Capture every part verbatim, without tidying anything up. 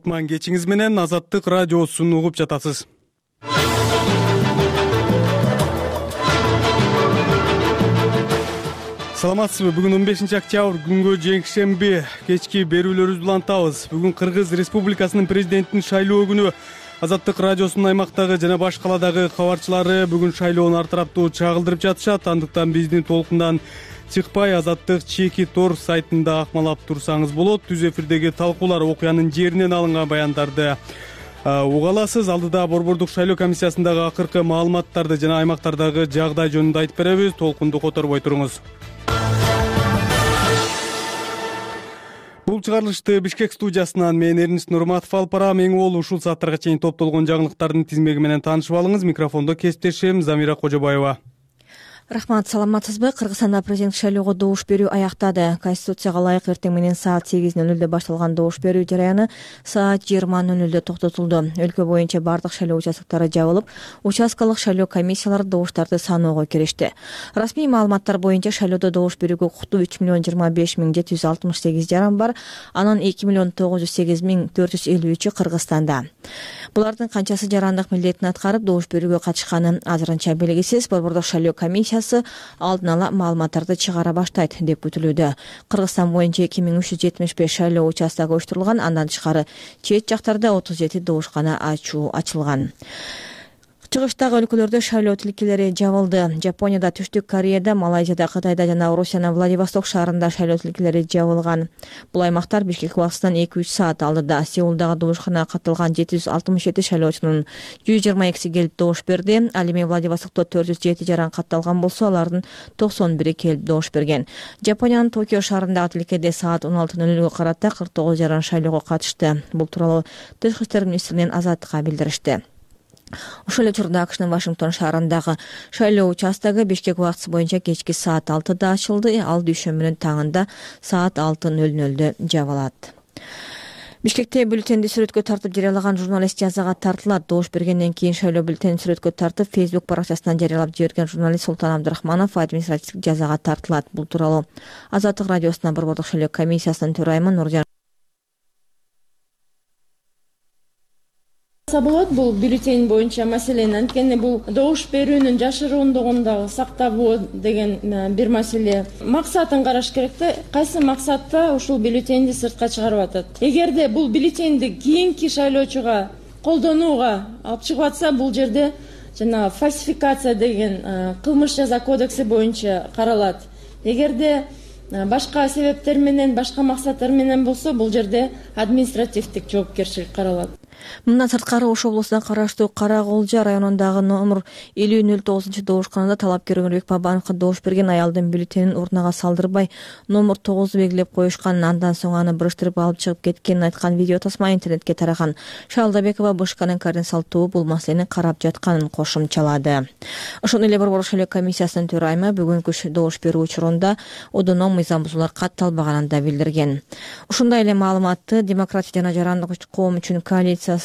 кутман кечиңиз менен Азаттык радиосун угуп жатасыз. Саламатсызбы? Бүгүн он бешинчи октябрь күнгө жекшемби кечки берүүлөрүбүздү улантабыз. Бүгүн Кыргыз Республикасынын президентин шайлоо күнү. Азаттык радиосунун аймактагы жана баш каладагы кабарчылары бүгүн шайлоону ар тараптуу чагылдырып жатышат. Андыктан биздин толкундан чыкпай Азаттык чеки тор сайтында акмалап турсаңыз болот. Түз эфирдеги талкуулар, окуянын жеринен алынган баяндарды уга аласыз. Алдыда Борбордук шайлоо комиссиясындагы акыркы маалыматтарды жана аймактардагы жагдай жөнүндө айтып беребиз. Толкунду которбой туруңуз. Бул чыгарылышты Бишкек студиясынан мен Эрнис Нурматов алып барам. Эң уол ушул сааттарга чейин топтолгон жаңылыктардын тизмеги менен таанышып алыңыз. Микрофондо кесиптешим Замира Кожобаева. Рахмат, саламатсызбы? Кыргызстанда президент шайлоого добуш берүү аяктады. Конституцияга ылайык эртең менен саат сегиз ноль нольдо башталган добуш берүү жараяны саат жыйырма ноль нольдо токтотулду. Өлкө боюнча бардык шайлоо участоктору жабылып, участкалык шайлоо комиссиялары добуштарды саноого киришти. Расмий маалыматтар боюнча шайлоодо добуш берүүгө укуктуу үч миллион жыйырма беш миң жети жүз алтымыш сегиз жаран бар. Анын эки миллион тогуз жүз сегиз миң төрт жүз элүү үчү Кыргызстанда. Булардын канчасы жарандык милдетин аткарып добуш берүүгө катышканы азырынча белгисиз. Борбордук шайлоо комиссиясы алдын ала маалыматтарды чыгара баштайт деп күтүлүүдө. Кыргызстан боюнча эки миң үч жүз жетимиш беш шайлоо участогу оюштурулган. Андан тышкары чет жактарда отуз жети добушкана ачуу ачылган. Чыгыштагы өлкөлөрдө шайлоо тилкелери жабылды. Жапонияда, Түштүк Кореяда, Малайзияда, Кытайда жана Орусиянын Владивосток шаарында шайлоо тилкелери жабылган. Бул аймактар Бишкек убактысынан эки үч саат алдыда. Сеулдагы добушканага катталган жети жүз алтымыш жети шайлоочунун жүз жыйырма экиси келип добуш берди. Ал эми Владивостокто төрт жүз жети жаран катталган болсо, алардын токсон бири келип добуш берген. Жапониянын Токио шаарындагы тилкеде саат он алты ноль нольго карата кырк тогуз жаран шайлоого катышты. Бул тууралуу Тышкы иштер министринин Азаттыкка билдиришти. Ошол эле учурда АКШнын Вашингтон шаарындагы шайлоо участогу Бишкек убактысы боюнча кечки саат алтыда ачылды. Ал дүйшөмбүнүн таңында саат алты ноль нольдо жабылат. Бишкекте бюллетенди сүрөткө тартып жарыялаган журналист жазага тартылат. Добуш бергенден кийин шайлоо бюллетенин сүрөткө тартып Facebook баракчасынан жарыялап жиберген журналист Султан Абдрахманов административдик жазага тартылат. Бул тууралуу Азаттык радиосуна Борбордук шайлоо комиссиясынын төрайымы Нуржан болот. Бул бюллетень боюнча маселени, анткени бул добуш берүүнүн жашыруундугун дагы сактабоо деген бир маселе. Максатын караш керек да, кайсы максатта ушул бюллетенди сыртка чыгарып атат. Эгерде бул бюллетенди кийинки шайлоочуга колдонууга алып чыгып атса, бул жерде жана фальсификация деген кылмыш жаза кодекси боюнча каралат. Эгерде башка себептер менен, башка максаттар менен болсо, бул жерде административдик жоопкерчилик каралат. Мындан сырткары Ош облусуна караштуу Кара Колжа районундагы номер элүү ноль тогузунчу добушканада талапкер Өмүрбек Бабановго добуш берген аялдын бюллетенин урнага салдырбай номер тогузду белгилеп коюшкан. Андан соң аны буруштуруп алып чыгып кеткенин айткан видео тасма интернетке тараган. Шалдабекова Бышканын координациялык тобу бул маселени карап жатканын кошумчалады. Ошондой эле Борбордук шайлоо комиссиясынын төрайымы бүгүнкү добуш берүү учурунда одоно мыйзам бузуулар катталбаганын да билдирген. Ушундай эле маалыматты Демократия жана жарандык коом үчүн коалиция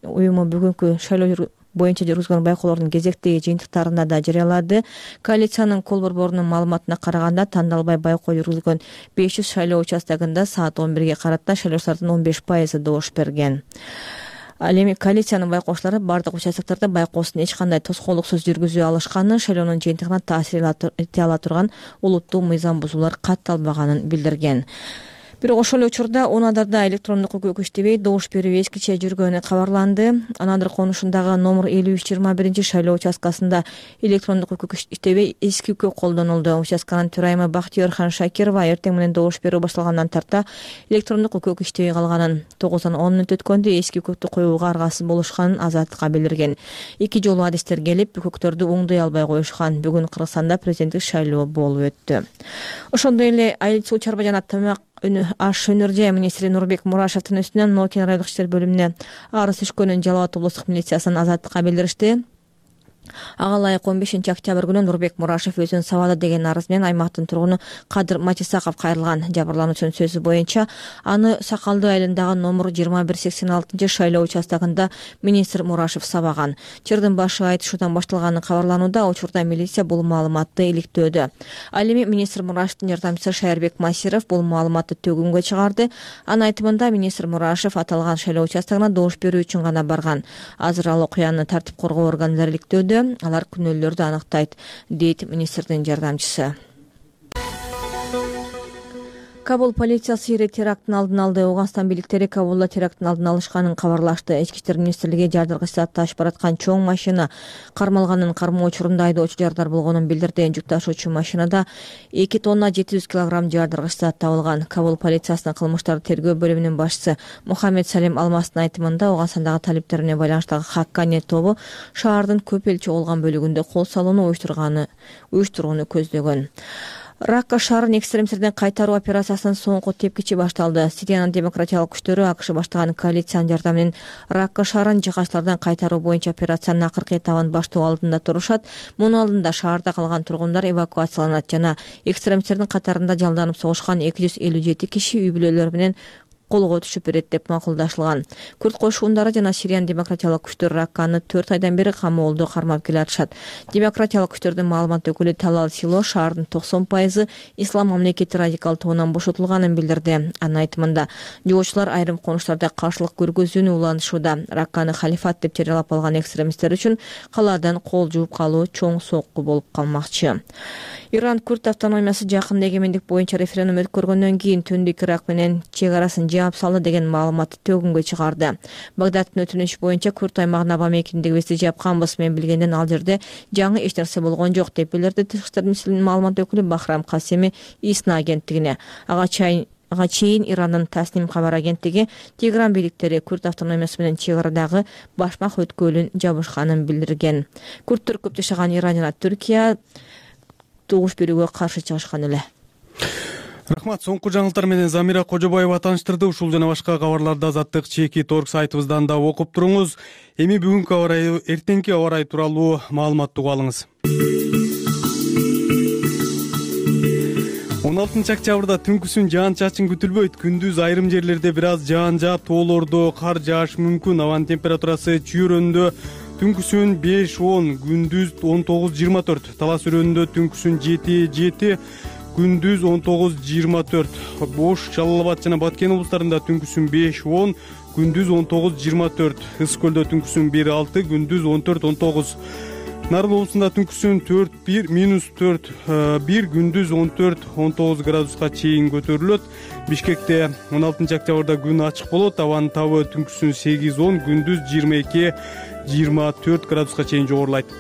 уюму бүгүнкү шайлоо боюнча жүргүзгөн байкоолордун кезектеги жыйынтыктарында да жарыялады. Коалициянын кол борборунун маалыматына караганда, тандалбай байкоо жүргүзгөн беш жүз шайлоо участогунда саат он бирге карата шайлоочулардын он беш пайызы добуш берген. Ал эми коалициянын байкоочулары бардык участоктордо байкоосун эч кандай тоскоолдуксуз жүргүзө алышканын, шайлоонун жыйынтыгына таасир эте ала турган олуттуу мыйзам бузуулар катталбаганын билдирген. Бирок ошол эле учурда Унадырда электрондук өкүк иштебей добуш берүү эскиче жүргөнү кабарланды. Анадыр конушундагы номер элүү үч жыйырма биринчи шайлоо участкасында электрондук өкүк иштебей эски үкүк колдонулду. Участканын төрайымы Бактиёрхан Шакирова эртең менен добуш берүү башталгандан тарта электрондук өкүк иштебей калганын, тогуздан он мүнөт өткөндө эски үкүктү коюуга аргасыз болушканын Азаттыкка билдирген. Эки жолу адистер келип, үкүктөрдү оңдой албай коюшкан. Бүгүн Кыргызстанда президенттик шайлоо болуп өттү. Ошондой эле Айыл суу чарба жана тамак аш өнөр жай министри Нурбек Мурашевдин үстүнөн Ноокин райондук иштер бөлүмүнө арыз түшкөнүн Жалал абад облустук милициясынын Азаттыкка билдиришти. Ага ылайык он бешинчи октябрь күнү Нурбек Мурашев өзүн сабады деген арыз менен аймактын тургуну Кадыр Матисаков кайрылган. Жабырлануучунун сөзү боюнча аны Сакалдуу айылындагы номер жыйырма бир сексен алтынчы шайлоо участогунда министр Мурашев сабаган. Чырдын башы айтышуудан башталганы кабарланууда, учурда милиция бул маалыматты иликтөөдө. Ал эми министр Мурашевдин жардамчысы Шайырбек Масиров бул маалыматты төгүнгө чыгарды. Анын айтымында министр Мурашев аталган шайлоо участогуна добуш берүү үчүн гана барган. Азыр ал окуяны тартип коргоо органдары иликтөөдө. Алар күнөөлөрдү аныктайт, дейт министрдин жардамчысы. Кабул полициясы ири теракттын алдын алды. Ауганстан бийликтери Кабулда теракттын алдын алышканын кабарлашты. Ички иштер министрлиги жардыргыч зат ташып бараткан чоң машина кармалганын, кармоо учурунда айдоочу жардар болгонун билдирди. Жүк ташуучу машинада эки тонна жети жүз килограмм жардыргыч зат табылган. Кабул полициясынын кылмыштарды тергөө бөлүмүнүн башчысы Мухаммед Салим Алмастын айтымында, Ауганстандагы талиптер менен байланыштагы Хаккани тобу шаардын көп элчи болгон бөлүгүндө кол салууну уюштурганы уюштурууну көздөгөн. Ракка шаарын экстремисттерден кайтаруу операциясынын соңку тепкичи башталды. Сириянын демократиялык күчтөрү АКШ баштаган коалициянын жардамы менен Ракка шаарын жыгачтардан кайтаруу боюнча операциянын акыркы этабын баштоо алдында турушат. Мунун алдында шаарда калган тургундар эвакуацияланат жана экстремисттердин катарында жалданып согушкан эки жүз элүү жети киши үй бүлөлөрү менен колго түшүп берет деп макулдашылган. Күрд кошуундары жана Сириянын демократиялык күчтөр Ракканы төрт айдан бери камоолдо кармап келатышат. Демократиялык күчтөрдүн маалымат өкүлү Талал Сило шаардын токсон пайызы ислам мамлекети радикал тобунан бошотулганын билдирди. Анын айтымында, жогоочулар айрым конуштарда каршылык көргөзүүнү улантышууда. Ракканы халифат деп жарыялап алган экстремисттер үчүн калаадан кол жууп калуу чоң сокку болуп калмакчы. Иран Күрд автономиясы жакында эгемендик боюнча референдум өткөргөндөн кийин Түндүк Ирак менен чек арасын жаап салды деген маалыматты төгүнгө чыгарды. Багдадтын өтүнүшү боюнча Күрд аймагына аба мекендигибизди жапканбыз, мен билгенден ал жерде жаңы эч нерсе болгон жок деп билдирди Тышкы иштер министрлигинин маалымат өкүлү Бахрам Касеми ИСНА агенттигине. Ага чейин Ага чейин Ирандын Тасним кабар агенттиги Тегеран бийликтери Күрд автономиясы менен чек арадагы башмак өткөлүн жабышканын билдирген. Күрдтөр көп жашаган Иран жана Түркия добуш берүүгө каршы чыгышкан эле. Рахмат. Соңку жаңылыктар менен Замира Кожобаева тааныштырды. Ушул жана башка кабарларды Азаттык чеки торг сайтыбыздан да окуп туруңуз. Эми бүгүнкү аба ырайы, эртеңки аба ырайы тууралуу маалыматты угуп алыңыз. он алтынчы октябрда түнкүсүн жаан-чачын күтүлбөйт. Күндүз айрым жерлерде бир аз жаан жаап, тоолордо кар жаашы мүмкүн. Абанын температурасы чүйрөндө түнкүсүн беш он, күндүз он тогуз жыйырма төрт. Талас өрөөнүндө түнкүсүн жети жети, күндүз он тогуз жыйырма төрт. Бош, Жалал Абад жана Баткен облустарында түнкүсүн беш он, күндүз он тогуз жыйырма төрт. Ысык көлдө түнкүсүн бир алты, күндүз он төрт он тогуз. Нарын облусунда түнкүсүн төрт бир, минус төрт бир, күндүз он төрт он тогуз градуска чейин көтөрүлөт. Бишкекте он алтынчы октябрда күн ачык болот. Абанын табы түнкүсүн сегиз он, күндүз жыйырма эки жыйырма төрт градуска чейин жогорулайт.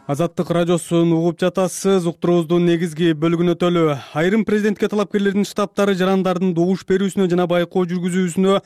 Азаттык радиосун угуп жатасыз. Уктуруубуздун негизги бөлүгүнө өтөлү. Айрым президентке талапкерлердин штабтары жарандардын добуш берүүсүнө жана байкоо жүргүзүүсүнө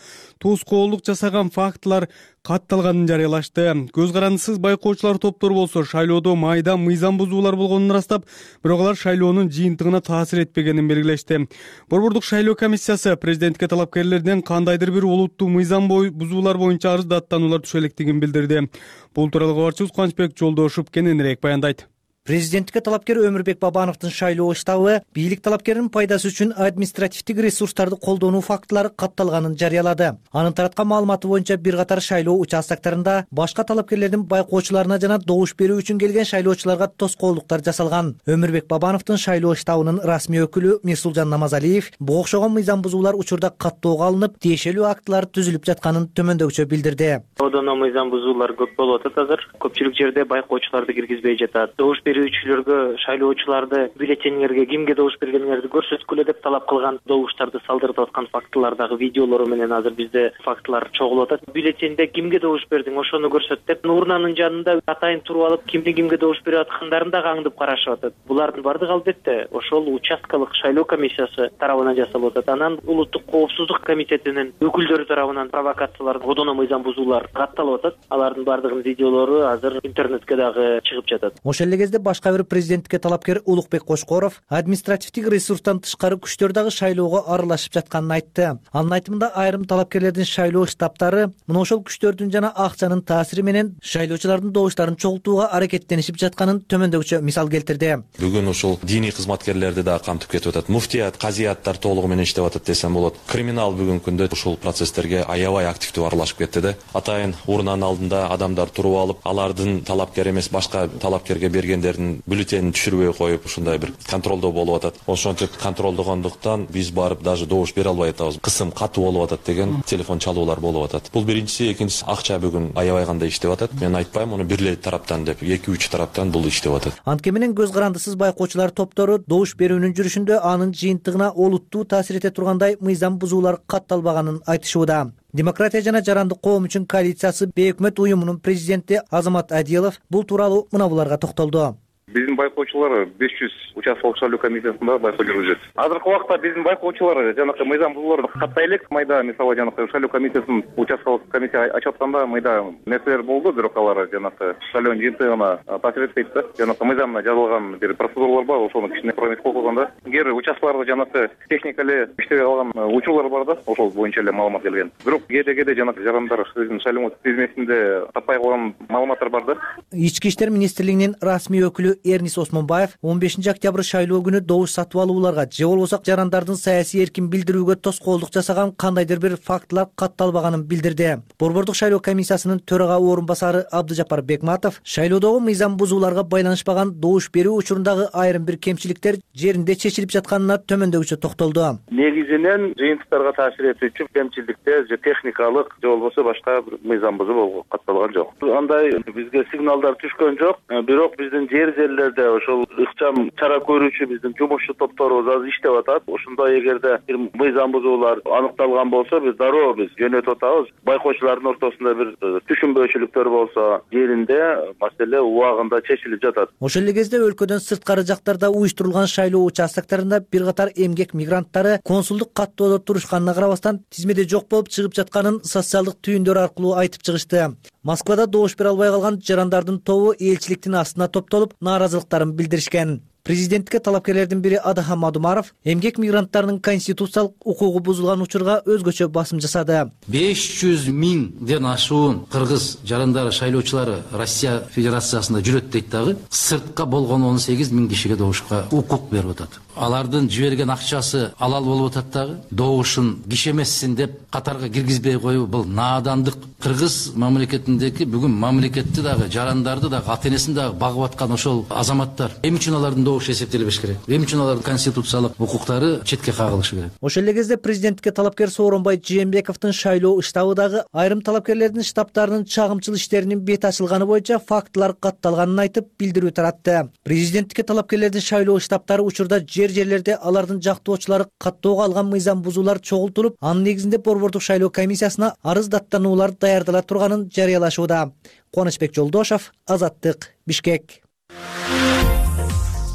тоскоолдук жасаган фактылар катталганын жарыялашты. Көз карандысыз байкоочулар топтору болсо шайлоодо майда мыйзам бузуулар болгонун ырастап, бирок алар шайлоонун жыйынтыгына таасир этпегенин белгилешти. Борбордук шайлоо комиссиясы президентке талапкерлерден кандайдыр бир олуттуу мыйзам бузуулар боюнча арыз даттануулар түшө электигин билдирди. Бул тууралуу кабарчыбыз Кубанычбек Жолдошов кененирээк баяндайт. Президенттикке талапкер Өмүрбек Бабановдун шайлоо штабы бийлик талапкеринин пайдасы үчүн административдик ресурстарды колдонуу фактылары катталганын жарыялады. Анын тараткан маалыматы боюнча бир катар шайлоо участоктарында башка талапкерлердин байкоочуларына жана добуш берүү үчүн келген шайлоочуларга тоскоолдуктар жасалган. Өмүрбек Бабановдун шайлоо штабынын расмий өкүлү Мирсулжан Намазалиев бу окшогон мыйзам бузуулар учурда каттоого алынып, тиешелүү актылар түзүлүп жатканын төмөндөгүчө билдирди. Одоно мыйзам бузуулар көп болуп атат азыр. Көпчүлүк жерде байкоочуларды киргизбей жатат. Добуш берүүчүлөргө, шайлоочуларды бюллетениңерге кимге добуш бергениңерди көрсөткүлө деп талап кылган, добуштарды салдыртып аткан фактылардагы видеолору менен азыр бизде фактылар чогулуп атат. Бюллетенде кимге добуш бердиң, ошону көрсөт деп урнанын жанында атайын туруп алып, кимди кимге добуш берип аткандарын дагы аңдып карашып атат. Булардын баардыгы албетте ошол участкалык шайлоо комиссиясы тарабынан жасалып атат. Анан улуттук коопсуздук комитетинин өкүлдөрү тарабынан провокациялар, одоно мыйзам бузуулар катталып атат. Алардын баардыгынын видеолору азыр интернетке дагы чыгып жатат. Ошол эле кезде кезде башка бир президенттикке талапкер Улукбек Кошкоров административдик ресурстан тышкары күчтөр дагы шайлоого аралашып жатканын айтты. Анын айтымында айрым талапкерлердин шайлоо штабтары мына ошол күчтөрдүн жана акчанын таасири менен шайлоочулардын добуштарын чогултууга аракеттенишип жатканын төмөндөгүчө мисал келтирди. Бүгүн ушул диний кызматкерлерди да камтып кетип атат. Муфтият, казияттар толугу менен иштеп атат десем болот. Криминал бүгүнкү күндө ушул процесстерге аябай активдүү аралашып кетти да. Атайын урнанын алдында адамдар туруп алып, алардын талапкер эмес башка талапкерге бергендердин бюллетенин түшүрбөй коюп, ушундай бир контролдоо болуп атат. Ошентип контролдогондуктан биз барып даже добуш бере албай атабыз. Кысым катуу болуп атат деген телефон чалуулар болуп атат. Бул биринчиси, экинчиси акча бүгүн аябай кандай иштеп атат. Мен айтпайм муну бир эле тараптан деп, эки үч тараптан бул иштеп атат. Антке менен көз карандысыз байкоочулар топтору добуш берүүнүн жүрүшүндө анын жыйынтыгына олуттуу таасир эте тургандай мыйзам бузуулар катталбаганын айтышууда. Демократия жана жарандык коом үчүн коалициясы бейөкмөт уюмунун президенти Азамат Адилов бул тууралуу мына буларга токтолду. Биздин байкоочулар беш жүз участкалык шайлоо комиссиясында байкоо жүргүзөт. Азыркы убакта биздин байкоочулар жанакы мыйзам бузууларды каттай элек. Майда мисалы жанакы шайлоо комиссиясынын участкалык комиссия ачып атканда майда нерселер болду, бирок алар жанакы шайлоонун жыйынтыгына таасир этпейт да. Жанакы мыйзамда жазылган бир процедуралар бар, ошону кичине прометке койгондо эгер участкаларда жанакы техника эле иштебей калган учурлар бар да, ошол боюнча эле маалымат келген. Бирок кээде кээде жанакы жарандар шайлоо тизмесинде таппай калган маалыматтар бар да. Ички иштер министрлигинин расмий өкүлү Эрнис Осмонбаев он бешинчи октябрь шайлоо күнү добуш сатып алууларга же болбосо жарандардын саясий эркин билдирүүгө тоскоолдук жасаган кандайдыр бир фактылар катталбаганын билдирди. Борбордук шайлоо комиссиясынын төрага орун басары Абдыжапар Бекматов шайлоодогу мыйзам бузууларга байланышпаган добуш берүү учурундагы айрым бир кемчиликтер жеринде чечилип жатканына төмөндөгүчө токтолду. Негизинен жыйынтыктарга таасир этүүчү кемчиликтер же техникалык же болбосо башка бир мыйзам бузуу катталган жок. Андай бизге сигналдар түшкөн жок, бирок биздин жер жерлерде ошол ыкчам чара көрүүчү биздин жумушчу топторубуз азыр иштеп атат. Ошондой эгерде бир мыйзам бузуулар аныкталган болсо, биз дароо биз жөнөтүп атабыз. Байкоочулардын ортосунда бир түшүнбөөчүлүктөр болсо, жеринде маселе убагында чечилип жатат. Ошол эле кезде өлкөдөн сырткары жактарда уюштурулган шайлоо участоктарында бир катар эмгек мигранттары консулдук каттоодо турушканына карабастан тизмеде жок болуп чыгып жатканын социалдык түйүндөр аркылуу айтып чыгышты. Москвада добуш бере албай калган жарандардын тобу элчиликтин астына топтолуп нааразылыктарын билдиришкен. Президенттикке талапкерлердин бири Адахам Мадумаров эмгек мигранттарынын конституциялык укугу бузулган учурга өзгөчө басым жасады. беш жүз миңден ашуун кыргыз жарандары шайлоочулары Россия Федерациясында жүрөт дейт дагы, сыртка болгон он сегиз миң кишиге добушка укук берип атат. Алардын жиберген акчасы алал болуп атат дагы, добушун киши эмессин деп катарга киргизбей коюу бул наадандык. Кыргыз мамлекетиндеги бүгүн мамлекетти дагы, жарандарды дагы, ата энесин дагы багып аткан ошол азаматтар эмне үчүн алардын добушу эсептелбеш керек? Эмне үчүн алардын конституциялык укуктары четке кагылышы керек? Ошол эле кезде президенттикке талапкер Сооронбай Жээнбековдун шайлоо штабы дагы айрым талапкерлердин штабтарынын чагымчыл иштеринин бет ачылганы боюнча фактылар катталганын айтып билдирүү таратты. Президенттикке талапкерлердин шайлоо штабтары учурда жер жерлерде алардын жактоочулары каттоого алган мыйзам бузуулар чогултулуп, анын негизинде борбордук шайлоо комиссиясына арыз даттануулар даярдала турганын жарыялашууда. Кубанычбек Жолдошов, Азаттык, Бишкек.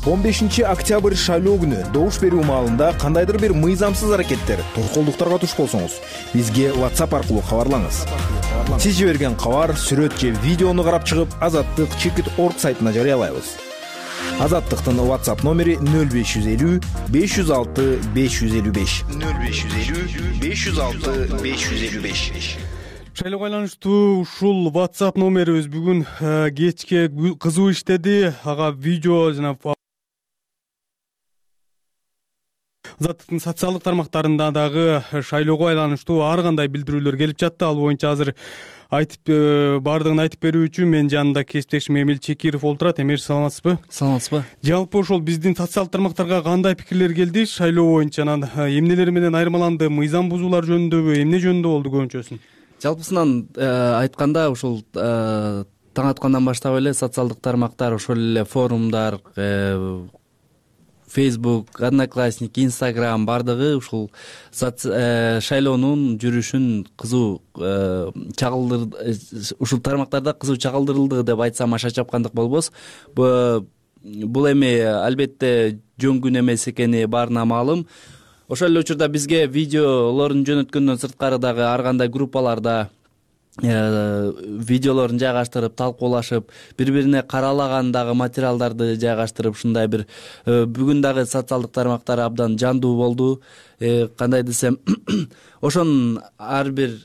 он бешинчи октябрь шайлоо күнү добуш берүү маалында кандайдыр бир мыйзамсыз аракеттер, тоскоолдуктарга туш болсоңуз, бизге WhatsApp аркылуу кабарлаңыз. Сиз жиберген кабар, сүрөт же видеону карап чыгып, Азаттык чекит точка орг сайтына жарыялайбыз. Азаттыктын WhatsApp номери нөл беш жүз элүү беш жүз алты беш жүз элүү беш. нөл беш жүз элүү беш жүз алты беш жүз элүү беш. Шайлоого байланыштуу ушул WhatsApp номерибиз бүгүн кечке кызуу иштеди. Ага видео жана Азаттыктын социалдык тармактарында дагы шайлоого байланыштуу ар кандай билдирүүлөр келип жатты. Ал боюнча азыр айтып бардыгын айтып берүү үчүн мен жанында кесиптешим Эмил Чекиров олтурат. Эмир, саламатсызбы? Саламатсызбы. Жалпы ошол биздин социалдык тармактарга кандай пикирлер келди шайлоо боюнча? Анан эмнелер менен айырмаланды? Мыйзам бузуулар жөнүндөбү, эмне жөнүндө болду көбүнчөсүн? Жалпысынан айтканда ушул таң аткандан баштап эле социалдык тармактар, ошол эле форумдар, Facebook, Одноклассники, Instagram бардыгы ушул шайлоонун жүрүшүн кызуу чагылдыр, ушул тармактарда кызуу чагылдырылды деп айтсам аша чапкандык болбос. Бул эми албетте жөн күн эмес экени баарына маалым. Ошол эле учурда бизге видеолорун жөнөткөндөн сырткары дагы ар кандай группаларда видеолорун жайгаштырып талкуулашып, бири бирине каралаган дагы материалдарды жайгаштырып, ушундай бир бүгүн дагы социалдык тармактар абдан жандуу болду. Кандай десем, ошонун ар бир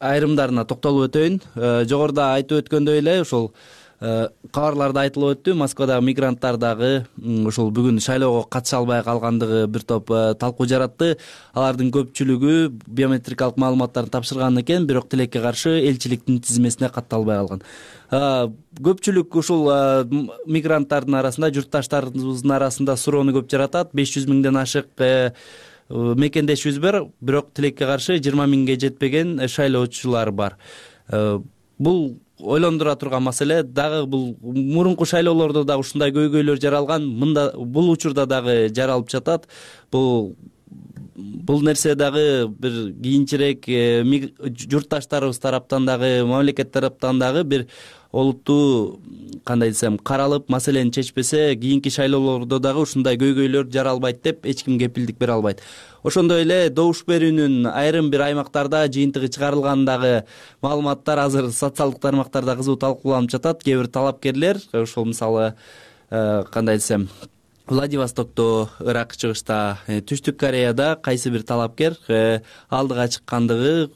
айрымдарына токтолуп өтөйүн. Жогоруда айтып өткөндөй эле ушул кабарларда айтылып өттү. Москвадагы мигранттар дагы ушул бүгүн шайлоого катыша албай калгандыгы бир топ талкуу жаратты. Алардын көпчүлүгү биометрикалык маалыматтарын тапшырган экен, бирок тилекке каршы элчиликтин тизмесине катталбай калган. Көпчүлүк ушул мигранттардын арасында, журтташтарыбыздын арасында суроону көп жаратат. беш жүз миңден ашык мекендешибиз бар, бирок тилекке каршы жыйырма миңге жетпеген шайлоочулар бар. Бул ойлондура турган маселе. Дагы бул мурунку шайлоолордо да ушундай көйгөйлөр жаралган, мында бул учурда дагы жаралып жатат. Бул бул нерсе дагы бир кийинчерээк журтташтарыбыз тараптан дагы, мамлекет тараптан дагы бир олуттуу, кандай десем, каралып, маселени чечпесе, кийинки шайлоолордо дагы ушундай көйгөйлөр жаралбайт деп эч ким кепилдик бере албайт. Ошондой эле добуш берүүнүн айрым бир аймактарда жыйынтыгы чыгарылгандагы маалыматтар азыр социалдык тармактарда кызуу талкууланып жатат. Кээ бир талапкерлер, ошол мисалы, кандай десем, Владивостокто, Ырак чыгышта, Түштүк Кореяда кайсы бир талапкер алдыга чыккандыгы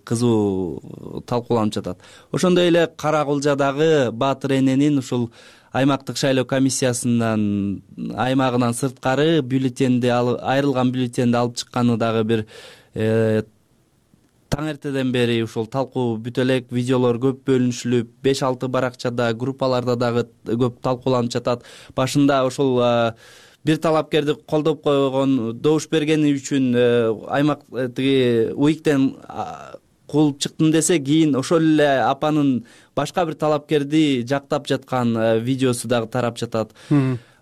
кызуу талкууланып жатат. Ошондой эле Кара Кулжадагы Баатыр эненин ушул аймактык шайлоо комиссиясынан аймагынан сырткары бюллетенди айрылган бюллетенди алып чыкканы дагы бир таң эртеден бери ушул талкуу бүтө элек, видеолор көп бөлүнүшүлүп, беш алты баракчада, группаларда дагы көп талкууланып жатат. Башында ошол бир талапкерди колдоп койгон, добуш бергени үчүн аймак тиги УИКтен кууп чыктым десе, кийин ошол эле апанын башка бир талапкерди жактап жаткан видеосу дагы тарап жатат.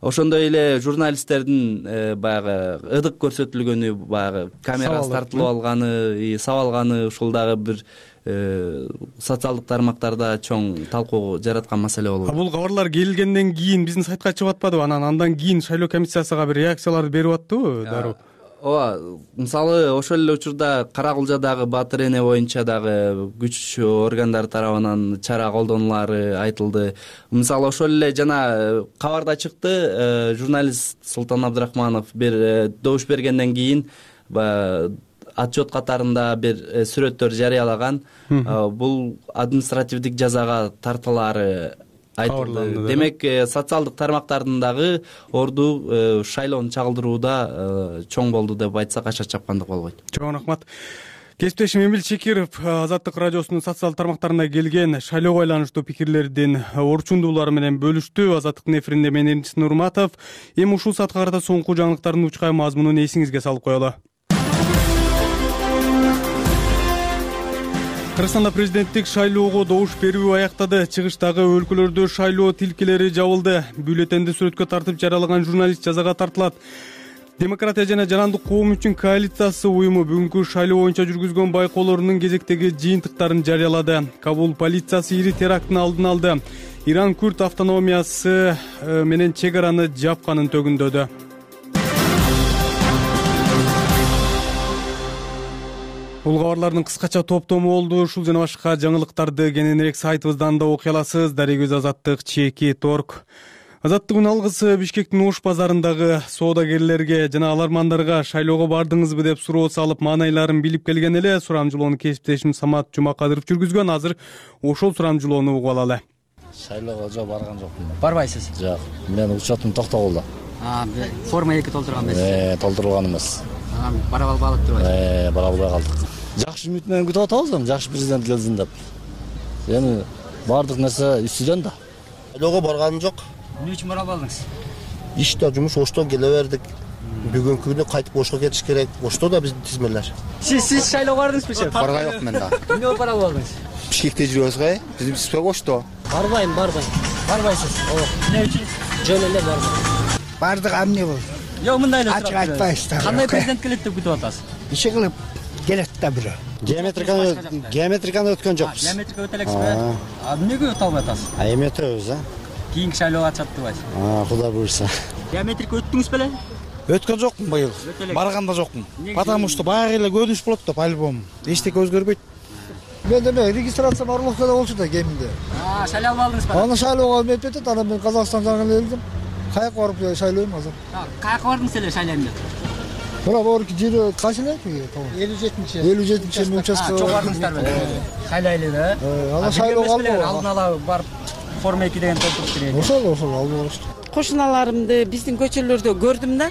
Ошондой эле журналисттердин баягы ыдык көрсөтүлгөнү, баягы камерасы тартылып алганы, сабалганы ушул дагы бир социалдык тармактарда чоң талкуу жараткан маселе болуп. Бул кабарлар келгенден кийин биздин сайтка чыгып атпадыбы? Анан андан кийин шайлоо комиссиясыга бир реакцияларды берип аттыбы дароо? Ооба, мисалы ошол эле учурда Кара Кулжадагы Баатыр эне боюнча дагы күч органдары тарабынан чара колдонулары айтылды. Мисалы ошол эле жана кабарда чыкты, журналист Султан Абдрахманов бир добуш бергенден кийин отчет катарында бир сүрөттөр жарыялаган. Бул административдик жазага тартылары айтылды. Демек, социалдык тармактардын дагы орду шайлоону чагылдырууда чоң болду деп айтсак аша чапкандык болбойт. Чоң рахмат. Кесиптешим Эмил Чекиров Азаттык радиосунун социалдык тармактарына келген шайлоого байланыштуу пикирлердин орчундуулары менен бөлүштү. Азаттыктын эфиринде мен Эрнис Нурматов. Эми ушул саатка карата соңку жаңылыктардын учкай мазмунун эсиңизге салып коелу. Кыргызстанда президенттик шайлоого добуш берүү аяктады. Чыгыштагы өлкөлөрдө шайлоо тилкелери жабылды. Бюллетенди сүрөткө тартып жаралаган журналист жазага тартылат. Демократия жана жарандык коом үчүн коалициясы уюму бүгүнкү шайлоо боюнча жүргүзгөн байкоолорунун кезектеги жыйынтыктарын жарыялады. Кабул полициясы ири теракттын алдын алды. Иран Күрд автономиясы менен чек араны жапканын төгүндөдү. Бул кабарлардын кыскача топтому болду. Ушул жана башка жаңылыктарды кененирээк сайтыбыздан да окуй аласыз. Дарегөз Азаттык чеки торг. Азаттыктын алгысы Бишкектин Ош базарындагы соодагерлерге жана алармандарга шайлоого бардыңызбы деп суроо салып, маанайларын билип келген эле. Сурамжылоону кесиптешим Самат Жумакадыров жүргүзгөн. Азыр ошол сурамжылоону угуп алалы. Шайлоого жок, барган жокмун. Барбайсыз? Жок. Менин учетум токтолду. А, форма эки толтурган эмес. Э, толтурулган эмес. Бара албадык деп айтат. Э, бара албай калдык. Жакшы үмүт менен күтүп атабыз, жакшы президент келсин деп. Эми баардык нерсе үстүдөн да. Шайлоого барганым жок. Эмне үчүн бара албадыңыз? Иште жумуш, Оштон келе бердик. Бүгүнкү күнү кайтып Ошко кетиш керек. Ошто да биздин тизмелер. Сиз сиз шайлоого бардыңызбы сен? Барган жок мен да. Эмне бара албадыңыз? Бишкекте жүрөбүз го, биздин спек Ошто. Барбайм, барбайм. Барбайсыз. Ооба. Эмне үчүн? Жөн эле барбайм. Бардык эмне болду? Жок, мындай эле. Ачык айтпайсыздар. Кандай президент келет деп күтүп атасыз? Иши кылып келет да бирөө. Геометриканы геометриканы өткөн жокпуз. Геометрика өтө элексизби? А эмнеге өтө албай атасыз? А эми өтөбүз, а? Кийинки шайлоого катышат деп айтасыз. А, Кудай буйрса. Геометрика өттүңүз беле? Өткөн жокмун быйыл. Барган да жокмун. Потому что баягы эле көрүнүш болот да по-любому. Эчтеке өзгөрбөйт. мен деме регистрация Орловкада болчу да кеминде. А, шайлап алдыңызбы? Аны шайлоого метип атат, анан мен Казакстан жагына келдим. Каяка барып шайлойм азыр? Каяка бардыңыз эле шайлайм деп? Мына борки жери кайсы эле? элүү жетинчи. элүү жетинчи участка. Чоң бардыңыздар беле? Шайлайлы да? Анан шайлоого алдым. Алдын ала барып форма эки деген толтуруп керек. Ошол, ошол алып алышты. Кошуналарымды биздин көчөлөрдө көрдүм да,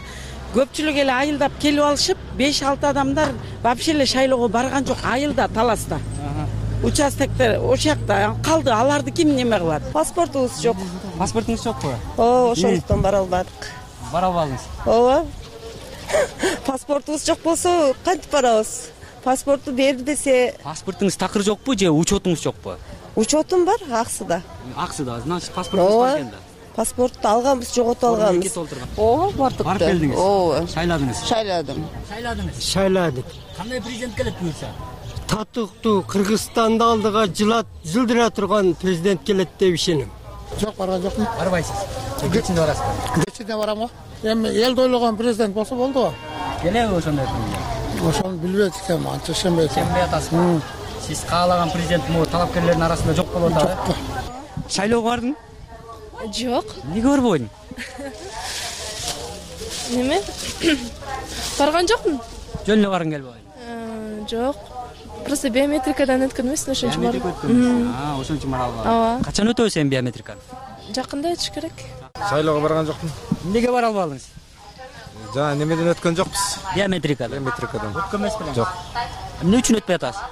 көпчүлүк эле айылдап келип алышып, беш алты адамдар вообще эле шайлоого барган жок, айылда, таласта. Участоктор ошол жакта калды, аларды ким неме кылат? Паспортубуз жок. Паспортуңуз жокпу? Ооба, ошондуктан бара албадык. Бара албадыңыз? Ооба. Паспортубуз жок болсо кантип барабыз? Паспорту бер десе. Паспортуңуз такыр жокпу же учетуңуз жокпу? Учетум бар, аксыда. Аксыда, значит паспортуңуз бар экен да. Паспорту алганбыз, жоготуп алганбыз. Ооба, бардык. Барып келдиңиз? Ооба. Шайладыңыз? Шайладым. Шайладыңыз? Шайладык. Кандай президент келет буюрса? Татыктуу Кыргызстанды алдыга жылат жылдыра турган президент келет деп ишенем. Жок, барган жокмун. Барбайсыз. Кечинде барасызбы? Кечинде барам го. Эми элди ойлогон президент болсо болду го. Келеби ошондой? Ошону билбейт экенмин, анча ишенбейт. Ишенбей атасызбы? Сиз каалаган президент могу талапкерлердин арасында жок болуп атабы? Шайлоого бардың? Жок. Эмнеге барбадың? Неме? Барган жокмун. Жөн эле баргың келбей? Жок. Просто биометрикадан өткөн эмесмин, ошон үчүн бардым. Биометрика өткөн. А, ошон үчүн бара албадым. Ооба. Качан өтөбүз эми биометриканы? Жакында өтүш керек. Шайлоого барган жокмун. Эмнеге бара албадыңыз? Жана немеден өткөн жокпуз. Биометрикадан. Биометрикадан. Өткөн эмес белең? Жок. Эмне үчүн өтпөй атасыз?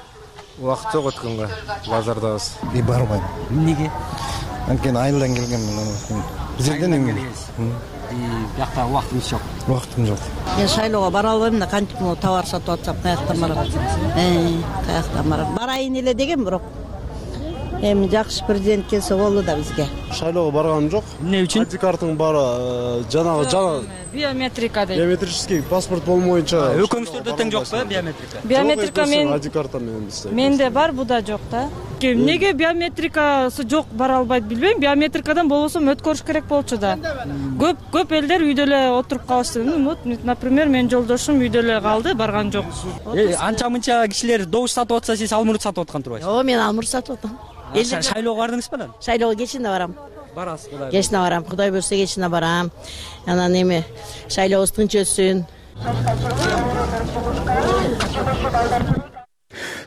Убакыт жок өткөнгө. Базардабыз. И барбайм. Эмнеге? Анткени айылдан келгенмин. Бизерден эмне? Бияқта убактыңыз жок. Убактым жок. Мен шайлоого бара албайм да, кантип могу товар сатып атсам, каяктан барам? Э, каяктан барам? Барайын эле деген бирок. Эми жакшы президент келсе болду да бизге. Шайлоого барганым жок. Эмне үчүн? Айди картың бары жанагы жана Биометрика дейт. биометрический паспорт болмоюнча. Экөөңүздөрдө тең жокпу биометрика? Биометрика мен айди карта менен иштейт. Менде бар, буда жок да. Эмнеге биометрикасы жок бара албайт билбейм. Биометрикадан болбосо өткөрүш керек болчу да. Көп көп элдер үйдө эле отуруп калышты. Вот, например, менин жолдошум үйдө эле калды, барган жок. Анча-мынча кишилер добуш сатып атса, сиз алмурут сатып аткан турбайсызбы? Ооба, мен алмурут сатып атам. Шайлоого бардыңызбы анан? Шайлоого кечинде барам. Барасыз, Кудай. Кечинде барам, Кудай буйрса кечинде барам. Анан эми шайлообуз тынч өтсүн.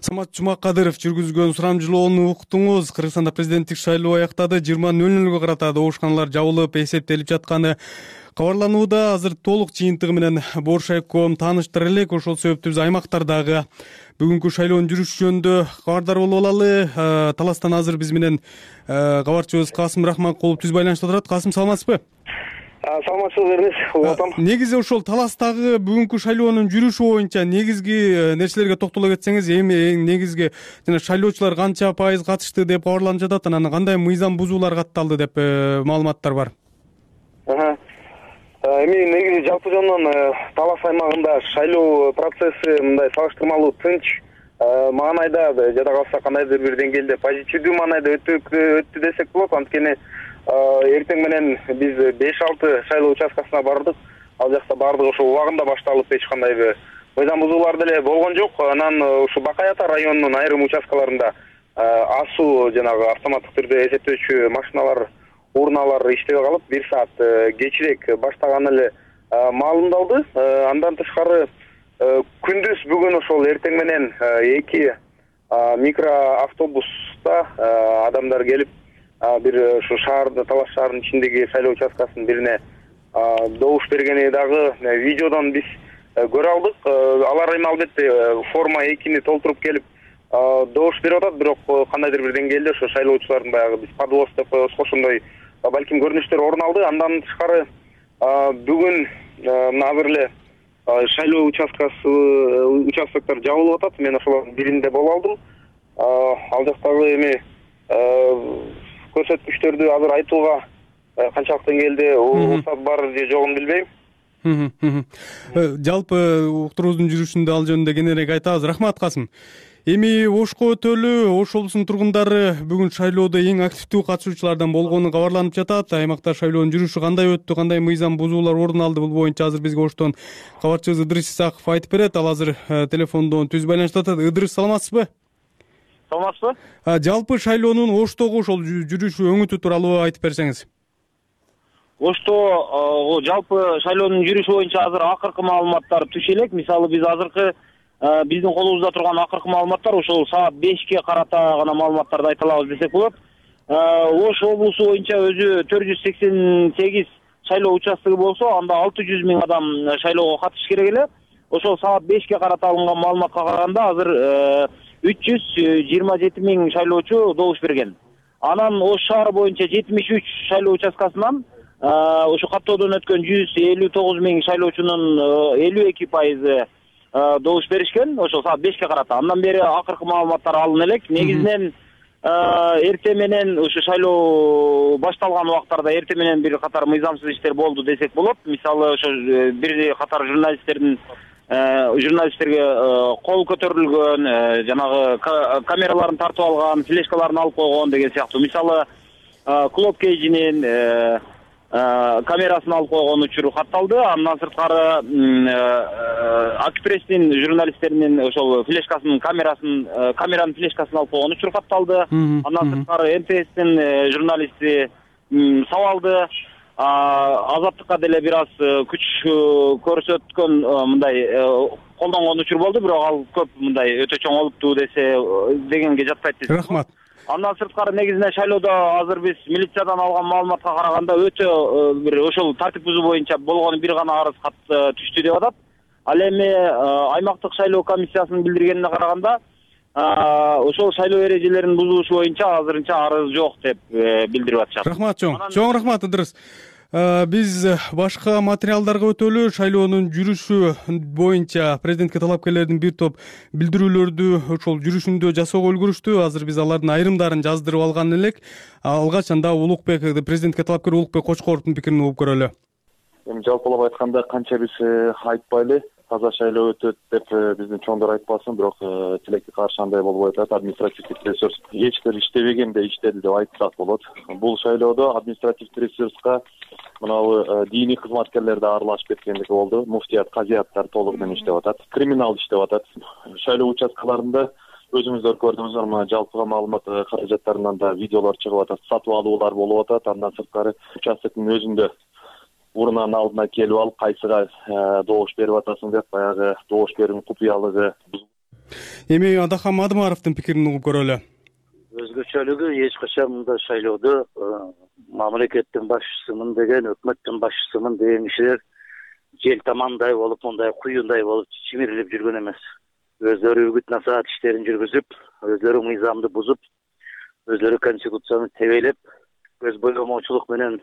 Самат Жумакадыров жүргүзгөн сурамжылоону уктуңуз. Кыргызстанда президенттик шайлоо аяктады. жыйырма нөл нөлгө карата добушканалар жабылып, эсептелип жатканы кабарланууда. Азыр толук жыйынтыгы менен Боршайком тааныштыра элек. Ошол себептүү биз аймактардагы бүгүнкү шайлоонун жүрүшү жөнүндө кабардар болуп алалы. Таластан азыр биз менен кабарчыбыз Касым Рахманкулов түз байланышта турат. Касым, саламатсызбы? Саламатсызбы, Эрнис? Улатам. Негизи ошол Таластагы бүгүнкү шайлоонун жүрүшү боюнча негизги нерселерге токтоло кетсеңиз, эми эң негизги жана шайлоочулар канча пайыз катышты деп кабарланып жатат, анан кандай мыйзам бузуулар катталды деп маалыматтар бар? Эми негизи жалпы жонунан Талас аймагында шайлоо процесси мындай салыштырмалуу тынч, маанайда жада калса кандайдыр бир деңгээлде позитивдүү маанайда өттү десек болот. Анткени эртең менен биз беш алты шайлоо участкасына бардык. Ал жакта баардыгы ошо убагында башталып, эч кандай мыйзам бузуулар деле болгон жок. Анан ушу Бакай Ата районунун айрым участкаларында асуу жанагы автоматтык түрдө эсептөөчү машиналар, урналар иштебей калып, бир саат кечирээк баштаганы эле маалымдалды. Андан тышкары күндүз бүгүн ошол эртең менен эки микроавтобуста адамдар келип, бир ушу шаарда, Талас шаарынын ичиндеги шайлоо участкасынын бирине добуш бергени дагы видеодон биз көрө алдык. Алар эми албетте форма экини толтуруп келип добуш берип атат, бирок кандайдыр бир деңгээлде ошо шайлоочулардын баягы биз подвоз деп коебузго, ошондой балким көрүнүштөр орун алды. Андан тышкары бүгүн азыр эле шайлоо участкасы участоктор жабылып атат. Мен ошолордун биринде болуп алдым. Ал жактагы эми көрсөткүчтөрдү азыр айтууга канчалык деңгээлде уруксат бар же жогун билбейм. Жалпы уктуруубуздун жүрүшүндө ал жөнүндө кененирээк айтабыз. Рахмат, Касым. Эми Ошко өтөлү Ош облусунун тургундары бүгүн шайлоодо эң активдүү катышуучулардан болгону кабарланып жатат. Аймакта шайлоонун жүрүшү кандай өттү, кандай мыйзам бузуулар орун алды, бул боюнча азыр бизге Оштон кабарчыбыз Ыдырыс Исаков айтып берет. Ал азыр телефондон түз байланышта атат. Ыдырыс, саламатсызбы? саламатсызбы? Жалпы шайлоонун Оштогу ошол жүрүш өңүтү тууралуу айтып берсеңиз. Ошто жалпы шайлоонун жүрүшү боюнча азыр акыркы маалыматтар түшө элек. Мисалы биз азыркы биздин колубузда турган акыркы маалыматтар ошол саат бешке карата гана маалыматтарды айта алабыз десек болот. Ош облусу боюнча өзү төрт жүз сексен сегиз шайлоо участогу болсо, анда алты жүз миң адам шайлоого катышыш керек эле. Ошол саат бешке карата алынган маалыматка караганда азыр үч жүз жыйырма жети миң шайлоочу добуш берген. Анан Ош шаары боюнча жетимиш үч шайлоо участкасынан ошо каттоодон өткөн жүз элүү тогуз миң шайлоочунун элүү эки пайызы добуш беришкен. Ошол саат бешке карата. Андан бери акыркы маалыматтар алына элек. Негизинен эрте менен ошо шайлоо башталган убактарда эрте менен бир катар мыйзамсыз иштер болду десек болот. Мисалы ошо бир катар журналисттердин журналисттерге кол көтөрүлгөн, жанагы камераларын тартып алган, флешкаларын алып койгон деген сыяктуу. Мисалы Клоп Кейжинин камерасын алып койгон учуру катталды. Андан сырткары Акпресстин журналисттеринин ошол флешкасынын камерасын камеранын флешкасын алып койгон учуру катталды. Андан сырткары М Т С'тин журналисти сабалды. Азаттыкка деле бир аз күч көрсөткөн мындай колдонгон учур болду, бирок ал көп мындай өтө чоң болупту десе дегенге жатпайт. Рахмат. Андан сырткары негизинен шайлоодо азыр биз милициядан алган маалыматка караганда өтө бир ошол тартип бузуу боюнча болгону бир гана арыз кат түштү деп атат. Ал эми аймактык шайлоо комиссиясынын билдиргенине караганда ошол шайлоо эрежелерин бузушу боюнча азырынча арыз жок деп билдирип атышат. Рахмат чоң. Чоң рахмат Ыдырыс. Биз башка материалдарга өтөлү. Шайлоонун жүрүшү боюнча президентке талапкерлердин бир топ билдирүүлөрдү ошол жүрүшүндө жасоого үлгүрүштү. Азыр биз алардын айрымдарын жаздырып алган элек. Алгач анда Улукбек, президентке талапкер Улукбек Кочкоровдун пикирин угуп көрөлү. Эми жалпылап айтканда канча биз айтпайлы, таза шайлоо өтөт деп биздин чоңдор айтпасын, бирок тилекке каршы андай болбой атат. Административдик ресурс эч бир иштебегенде иштеди деп айтсак болот. Бул шайлоодо административдик ресурска мынабу диний кызматкерлер да аралашып кеткендиги болду. Муфтият, казияттар толук менен иштеп атат. Криминал иштеп атат. Шайлоо участкаларында өзүңүздөр көрдүңүздөр, мына жалпыга маалымат каражаттарынан да видеолор чыгып атат, сатып алуулар болуп атат. Андан сырткары участоктун өзүндө урунанын алдына келип алып, кайсыга добуш берип атасың деп баягы добуш берүүнүн купуялыгы. Эми Адахан Мадымаровдун пикирин угуп көрөлү. Өзгөчөлүгү эч качан мындай шайлоодо мамлекеттин башчысымын деген, өкмөттүн башчысымын деген кишилер жел тамандай болуп, мындай куюндай болуп чимирилип жүргөн эмес. Өздөрү үгүт насаат иштерин жүргүзүп, өздөрү мыйзамды бузуп, өздөрү конституцияны тебелеп, көз боемоочулук менен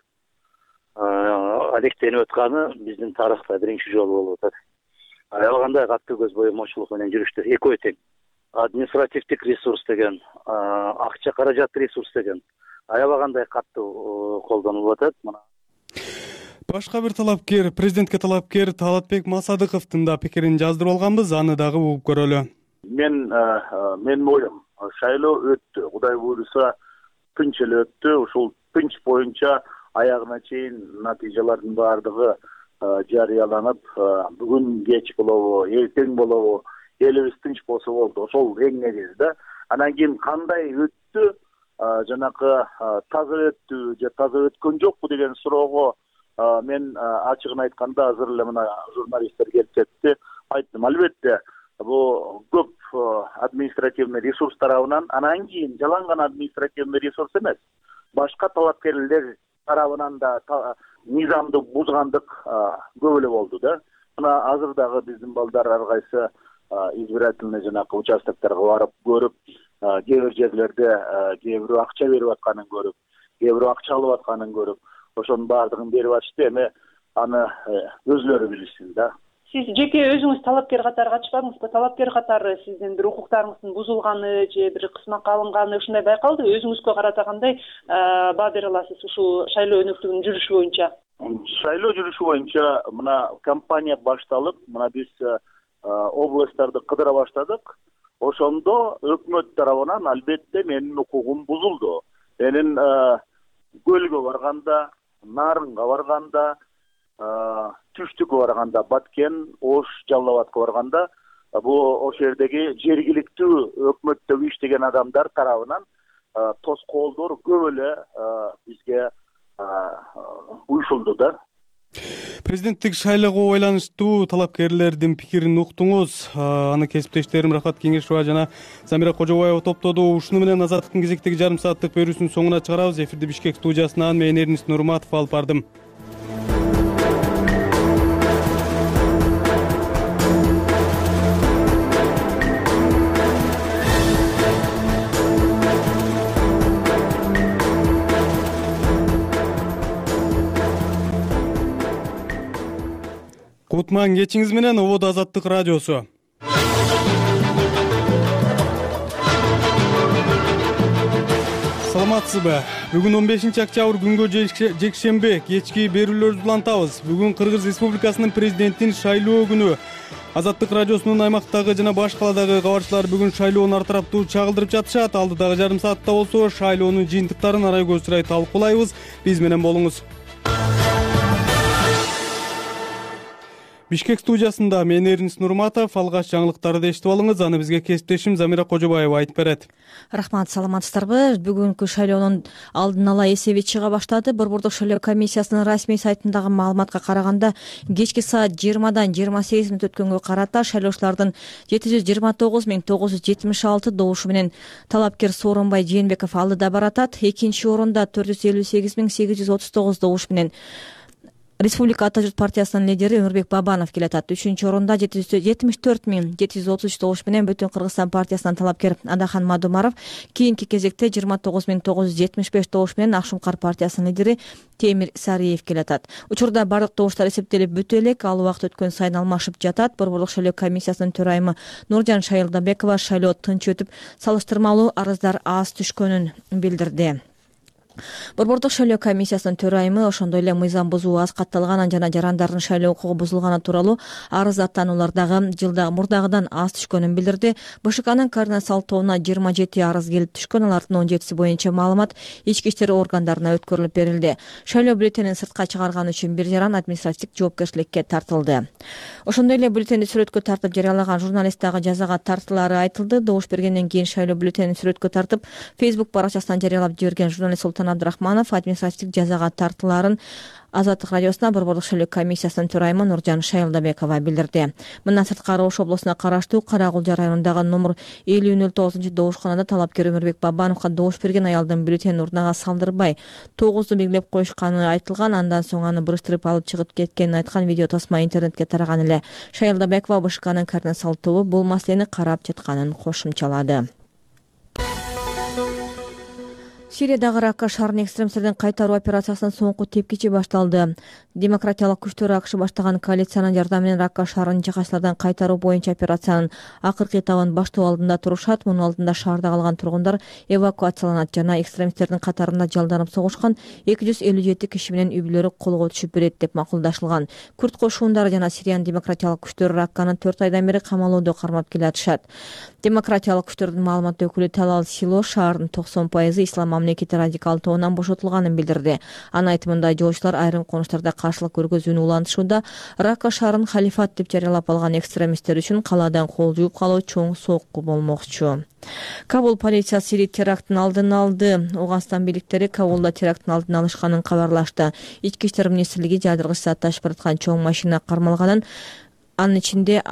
алектенип өтканы биздин тарыхта биринчи жолу болуп атат. Аябагандай катты көз боемоочулук менен жүрүштү. Экөө тең. Административдик ресурс деген, акча каражат ресурс деген аябагандай катуу колдонулуп атат. Мына башка бир талапкер, президентке талапкер Талатбек Масадыковдун да пикирин жаздырып алганбыз, аны дагы угуп көрөлү. Мен менин оюм, шайлоо өттү. Кудай буйруса тынч эле өттү. Ушул тынч боюнча аягына чейин натыйжалардын баардыгы жарыяланып, бүгүн кеч болобу, эртең болобу, элибиз тынч болсо болду. Ошол эң негизи да. Анан кийин кандай өттү, жанакы таза өттү же таза өткөн жокпу деген суроого мен ачыгын айтканда азыр эле мына журналисттер келип кетти, айттым. Албетте бул көп административный ресурс тарабынан, анан кийин жаланган административный ресурс эмес, башка талапкерлер тарабынан да мыйзамды бузгандык көп эле болду да. Мына азыр дагы биздин балдар ар кайсы избирательный жанакы участокторго барып көрүп, кээ бир жерлерде кээ бирөө акча берип атканын көрүп, кээ бирөө акча алып атканын көрүп, ошонун баардыгын берип атышты. Эми аны өзүлөрү билишсин да. Сиз жеке өзүңүз талапкер катары катышпадыңызбы? Талапкер катары сиздин бир укуктарыңыздын бузулганы же бир кысмакка алынганы ушундай байкалды? Өзүңүзгө карата кандай баа бере аласыз ушул шайлоо өнөктүгүнүн жүрүшү боюнча? Шайлоо жүрүшү боюнча мына кампания башталып, мына биз областтарды кыдыра баштадык. Ошондо өкмөт тарабынан албетте менин укугум бузулду. Менин Көлгө барганда, Нарынга барганда, Түштүккө барганда, Баткен, Ош, Жалал Абадка барганда бул ошол жердеги жергиликтүү өкмөттөгү иштеген адамдар тарабынан тоскоолдор көп эле бизге уюшулду да. Президенттик шайлоого байланыштуу талапкерлердин пикирин уктуңуз. Аны кесиптештерим Рахат Кеңешова жана Замира Кожобаева топтоду. Ушуну менен Азаттыктын кезектеги жарым сааттык берүүсүнүн соңуна чыгарабыз. Эфирди Бишкек студиясынан мен Эрнис Нурматов алып бардым. Кутман кечиңиз менен Ободо Азаттык радиосу. Саламатсызбы? Бүгүн он бешинчи октябрь күнгө жекшембе кечки берүүлөрүбүздү улантабыз. Бүгүн Кыргыз Республикасынын президентин шайлоо күнү. Азаттык радиосунун аймактагы жана баш каладагы кабарчылар бүгүн шайлоону ар тараптуу чагылдырып жатышат. Алдыдагы жарым саатта болсо шайлоонун жыйынтыктарын арай көзсүрөй талкуулайбыз. Биз менен болуңуз. Бишкек студиясында мен Эрнис Нурматов. Алгач жаңылыктарды эшитип алыңыз. Аны бизге кесиптешим Замира Кожобаева айтып берет. Рахмат, саламатсыздарбы? Бүгүнкү шайлоонун алдын ала эсеби чыга баштады. Борбордук шайлоо комиссиясынын расмий сайтындагы маалыматка караганда, кечки саат жыйырмадан жыйырма сегиз мүнөт өткөнгө карата шайлоочулардын жети жүз жыйырма тогуз миң тогуз жүз жетимиш алты добушу менен талапкер Сооронбай Жээнбеков алдыда баратат. Экинчи орунда төрт жүз элүү сегиз миң сегиз жүз отуз тогуз добуш менен Республика Ата журт партиясынын лидери Өмүрбек Бабанов келатат. Үчүнчү орунда жети жүз жетимиш төрт миң жети жүз отуз үч добуш менен Бүтүн Кыргызстан партиясынан талапкер Адахан Мадумаров, кийинки кезекте жыйырма тогуз миң тогуз жүз жетимиш беш добуш менен Ак Шуңкар партиясынын лидери Темир Сариев келатат. Учурда бардык добуштар эсептелип бүтө элек, ал убакыт өткөн сайын алмашып жатат. Борборлук шайлоо комиссиясынын төрайымы Нуржан Шайылдабекова шайлоо тынч өтүп, салыштырмалуу арыздар аз түшкөнүн билдирди. Борбордук шайлоо комиссиясынын төрайымы ошондой эле мыйзам бузуу аз катталганын жана жарандардын шайлоо укугу бузулганы тууралуу арыз аттануулардагы жылда мурдагыдан аз түшкөнүн билдирди. БШКнын координациялык тобуна жыйырма жети арыз келип түшкөн, алардын он жетиси боюнча маалымат ички иштер органдарына өткөрүлүп берилди. Шайлоо бюллетенин сыртка чыгарган үчүн бир жаран административдик жоопкерчиликке тартылды. Ошондой эле бюллетенди сүрөткө тартып жарыялаган журналист дагы жазага тартылары айтылды. Добуш бергенден кийин шайлоо бюллетенин сүрөткө тартып Facebook баракчасынан жарыялап жиберген журналист Султан Абдрахманов административдик жазага тартыларын Азаттык радиосуна Борбордук шайлоо комиссиясынын төрайымы Нуржан Шайылдабекова билдирди. Мындан сырткары Ош облусуна караштуу Карагулжа районундагы номер элүү нөл тогузунчу добушканада талапкер Өмүрбек Бабановго добуш берген аялдын бюллетенин урнага салдырбай тогузду белгилеп коюшканы айтылган. Андан соң аны бурыштырып алып чыгып кеткенин айткан видео тасма интернетке тараган эле. Шайылдабекова БШКнын координациялык тобу бул маселени карап жатканын кошумчалады. Сириядагы Ракка шаарынын экстремисттердин кайтаруу операциясынын соңку тепкичи башталды. Демократиялык күчтөр АКШ баштаган коалициянын жардамы менен Ракка шаарынын жыгачтардан кайтаруу боюнча операциянын акыркы этабын баштоо алдында турушат. Мунун алдында шаарда калган тургундар эвакуацияланат жана экстремисттердин катарында жалданып согушкан эки жүз элүү жети киши менен үй бүлөлөрү колго түшүп берет деп макулдашылган. Күрд кошуундары жана Сириянын демократиялык күчтөрү Ракканы төрт айдан бери камалоодо кармап келатышат. Демократиялык күчтөрдүн маалымат өкүлү Талал Сило шаардын токсон пайызы ислам мамлекети радикал тобунан бошотулганын билдирди. Анын айтымында жоочулар айрым конуштарда каршылык көргөзүүнү улантышууда. Ракка шаарын халифат деп жарыялап алган экстремисттер үчүн калаадан кол жууп калуу чоң сокку болмокчу. Кабул полициясы Сирия терактын алдын алды. Ауганстан бийликтери Кабулда терактын алдын алышканын кабарлашты. Ички иштер министрлиги жаадыргыч зат ташып бараткан чоң машина кармалганын, анын ичинде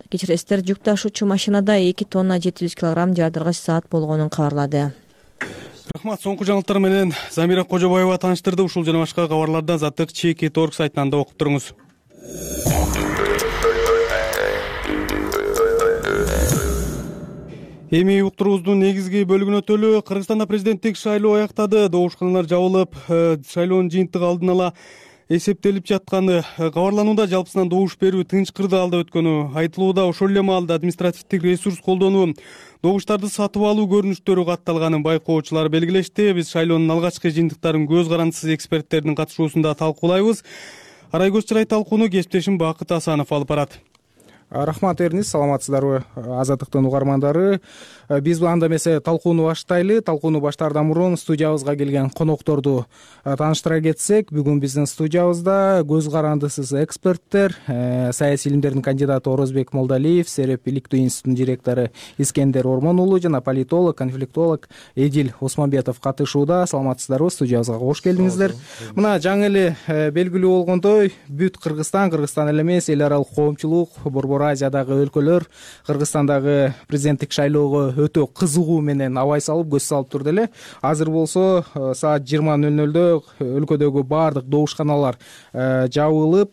кечиресиздер жүк ташуучу машинада эки тонна жети жүз килограмм жаадыргыч зат болгонун кабарлады. Рахмат, соңку жаңылыктар менен Замира Кожобаева тааныштырды. Ушул жана башка кабарларды Азаттык чеки точка орг сайтынан да окуп туруңуз. Эми уктуруубуздун негизги бөлүгүнө өтөлү. Кыргызстанда президенттик шайлоо аяктады. Добушканалар жабылып, шайлоонун жыйынтыгы алдын ала эсептелип жатканы кабарланууда. Жалпысынан добуш берүү тынч кырдаалда өткөнү айтылууда. Ошол эле маалда административдик ресурс колдонуу, добуштарды сатып алуу көрүнүштөрү катталганын байкоочулар белгилешти. Биз шайлоонун алгачкы жыйынтыктарын көз карандысыз эксперттердин катышуусунда талкуулайбыз. Арай көз чырай талкууну кесиптешим Бакыт Асанов алып барат. рахмат Эрнис, саламатсыздарбы Азаттыктын угармандары. Биз анда эмесе талкууну баштайлы. Талкууну баштаардан мурун студиябызга келген конокторду тааныштыра кетсек, бүгүн биздин студиябызда көз карандысыз эксперттер, саясий илимдердин кандидаты Орозбек Молдалиев, Сереп иликтөө институтунун директору Искендер Ормон уулу жана политолог, конфликтолог Эдил Осмонбетов катышууда. Саламатсыздарбы, студиябызга кош келдиңиздер. Мына жаңы эле белгилүү болгондой, бүт Кыргызстан, Кыргызстан эле эмес, эл аралык коомчулук, Борбор Азиядагы өлкөлөр Кыргызстандагы президенттик шайлоого өтө кызыгуу менен абай салып, көз салып турду эле. Азыр болсо саат жыйырма нөл нөлдө өлкөдөгү баардык добушканалар жабылып,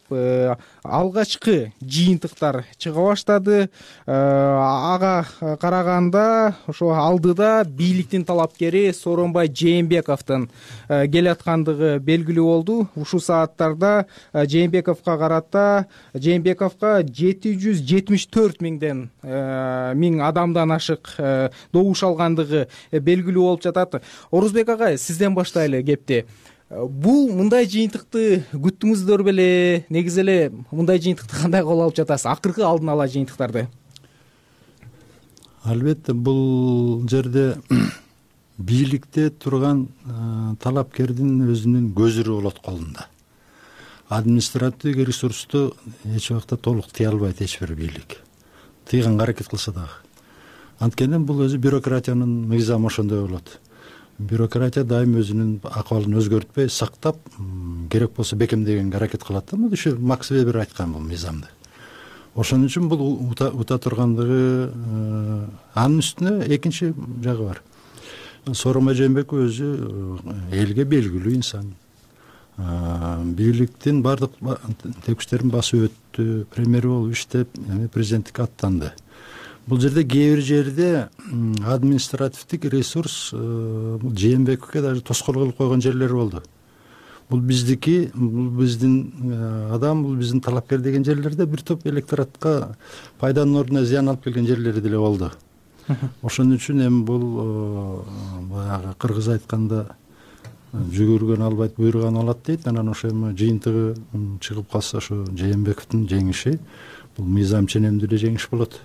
алгачкы жыйынтыктар чыга баштады. Ага караганда ошо алдыда бийликтин талапкери Сооронбай Жээнбековдун келаткандыгы белгилүү болду. Ушул сааттарда Жээнбековго карата Жээнбековго жети жүз жетимиш төрт миңден миң адамдан ашык добуш алгандыгы белгилүү болуп жатат. Орозбек агай, сизден баштайлы кепти. Бул мындай жыйынтыкты күттүңүздөр беле? Негизи эле мындай жыйынтыкты кандай кабыл алып жатасыз? Акыркы алдын ала жыйынтыктарды. Албетте, бул жерде бийликте турган талапкердин өзүнүн көзүрү болот колунда. Административдик ресурсту эч убакта толук тыя албайт эч бир бийлик. Тыйганга аракет кылса дагы. Анткени бул өзү бюрократиянын мыйзамы ошондой болот. Бюрократия дайым өзүнүн акыбалын өзгөртпөй сактап, керек болсо бекемдегенге аракет кылат да. Мына ушу Макс Вебер айткан бул мыйзамды. Ошон үчүн бул ута тургандыгы. Анын үстүнө экинчи жагы бар. Сооронбай Жээнбеков өзү элге белгилүү инсан. Бийликтин бардык текштерин басып өттү, премьер болуп иштеп, президенттикке аттанды. Бул жерде кээ бир жерде административдик ресурс Жээнбековге даже тоскоол кылып койгон жерлери болду. Бул биздики, бул биздин адам, бул биздин талапкер деген жерлерде бир топ электоратка пайданын ордуна зыян алып келген жерлери деле болду. Ошон үчүн эми бул баягы кыргыз айтканда жүгүргөн албайт, буйруган алат дейт. Анан ошо эми жыйынтыгы чыгып калса, ошо Жээнбековдун жеңиши бул мыйзам ченемдүү эле жеңиш болот.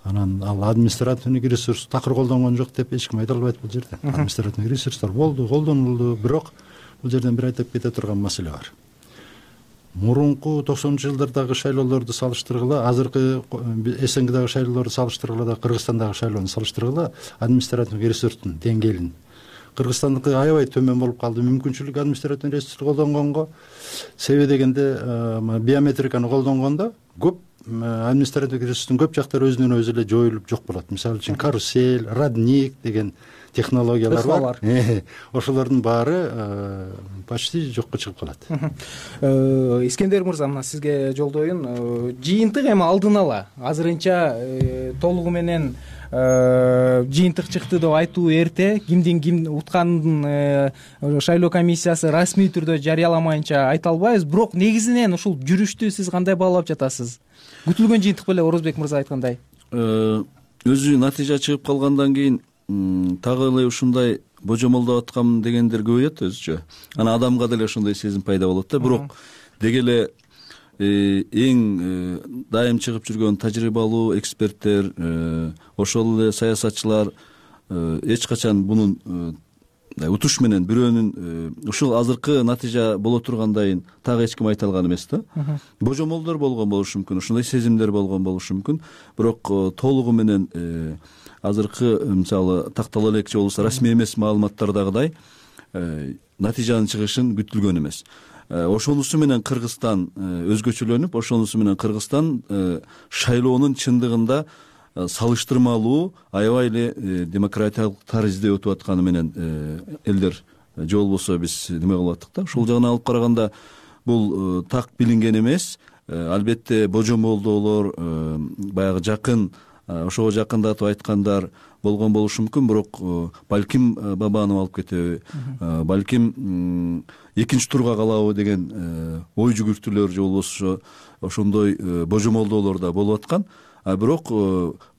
Анан ал административдик ресурс такыр колдонгон жок деп эч ким айта албайт бул жерде. Административдик ресурстар болду, колдонулду, бирок бул жерден бир айтып кете турган маселе бар. Мурунку токсонунчу жылдардагы шайлоолорду салыштыргыла, азыркы СНГдагы шайлоолорду салыштыргыла да Кыргызстандагы шайлоону салыштыргыла, административдик ресурстун деңгээлин Кыргызстандыкы аябай төмөн болуп калды. Мүмкүнчүлүк административдик ресурсту колдонгонго, себеби дегенде биометриканы колдонгондо көп административдик ресурстун көп жактары өзүнөн өзү эле жоюлуп жок болот. Мисалы үчүн карусель, родник деген технологиялар бар. Ошолордун баары почти жокко чыгып калат. Искендер мырза, мына сизге жолдоюн. Жыйынтык эми алдын ала азырынча толугу менен жыйынтык чыкты деп айтуу эрте. Кимдин ким утканын шайлоо комиссиясы расмий түрдө жарыяламайынча айта албайбыз. Бирок негизинен ушул жүрүштү сиз кандай баалап жатасыз? Күтүлгөн жыйынтык беле, Орозбек мырза айткандай? Өзү натыйжа чыгып калгандан кийин тагы эле ушундай божомолдоп аткам дегендер көбөйөт өзүчө. Анан адамга деле ошондой сезим пайда болот да. Бирок деги эле эң дайым чыгып жүргөн тажрыйбалуу эксперттер, ошол эле саясатчылар эч качан мунун утуш менен бирөөнүн ушул азыркы натыйжа боло тургандайын так эч ким айта алган эмес да. Божомолдор болгон болушу мүмкүн, ошондой сезимдер болгон болушу мүмкүн. Бирок толугу менен азыркы мисалы тактала элекчи болсо расмий эмес маалыматтардагыдай натыйжанын чыгышын күтүлгөн эмес. Ошонусу менен Кыргызстан өзгөчөлөнүп, ошонусу менен Кыргызстан шайлоонун чындыгында салыштырмалуу аябай эле демократиялык таризде өтүп атканы менен элдер же болбосо биз неме кылып аттык да. Ушул жагынан алып караганда бул так билинген эмес. Албетте божомолдоолор, баягы жакын, ошого жакындатып айткандар болгон болушу мүмкүн. Бирок балким Бабанов алып кетеби, балким экинчи турга калабы деген ой жүгүртүүлөр же болбосо ошондой божомолдоолор да болуп аткан. А бирок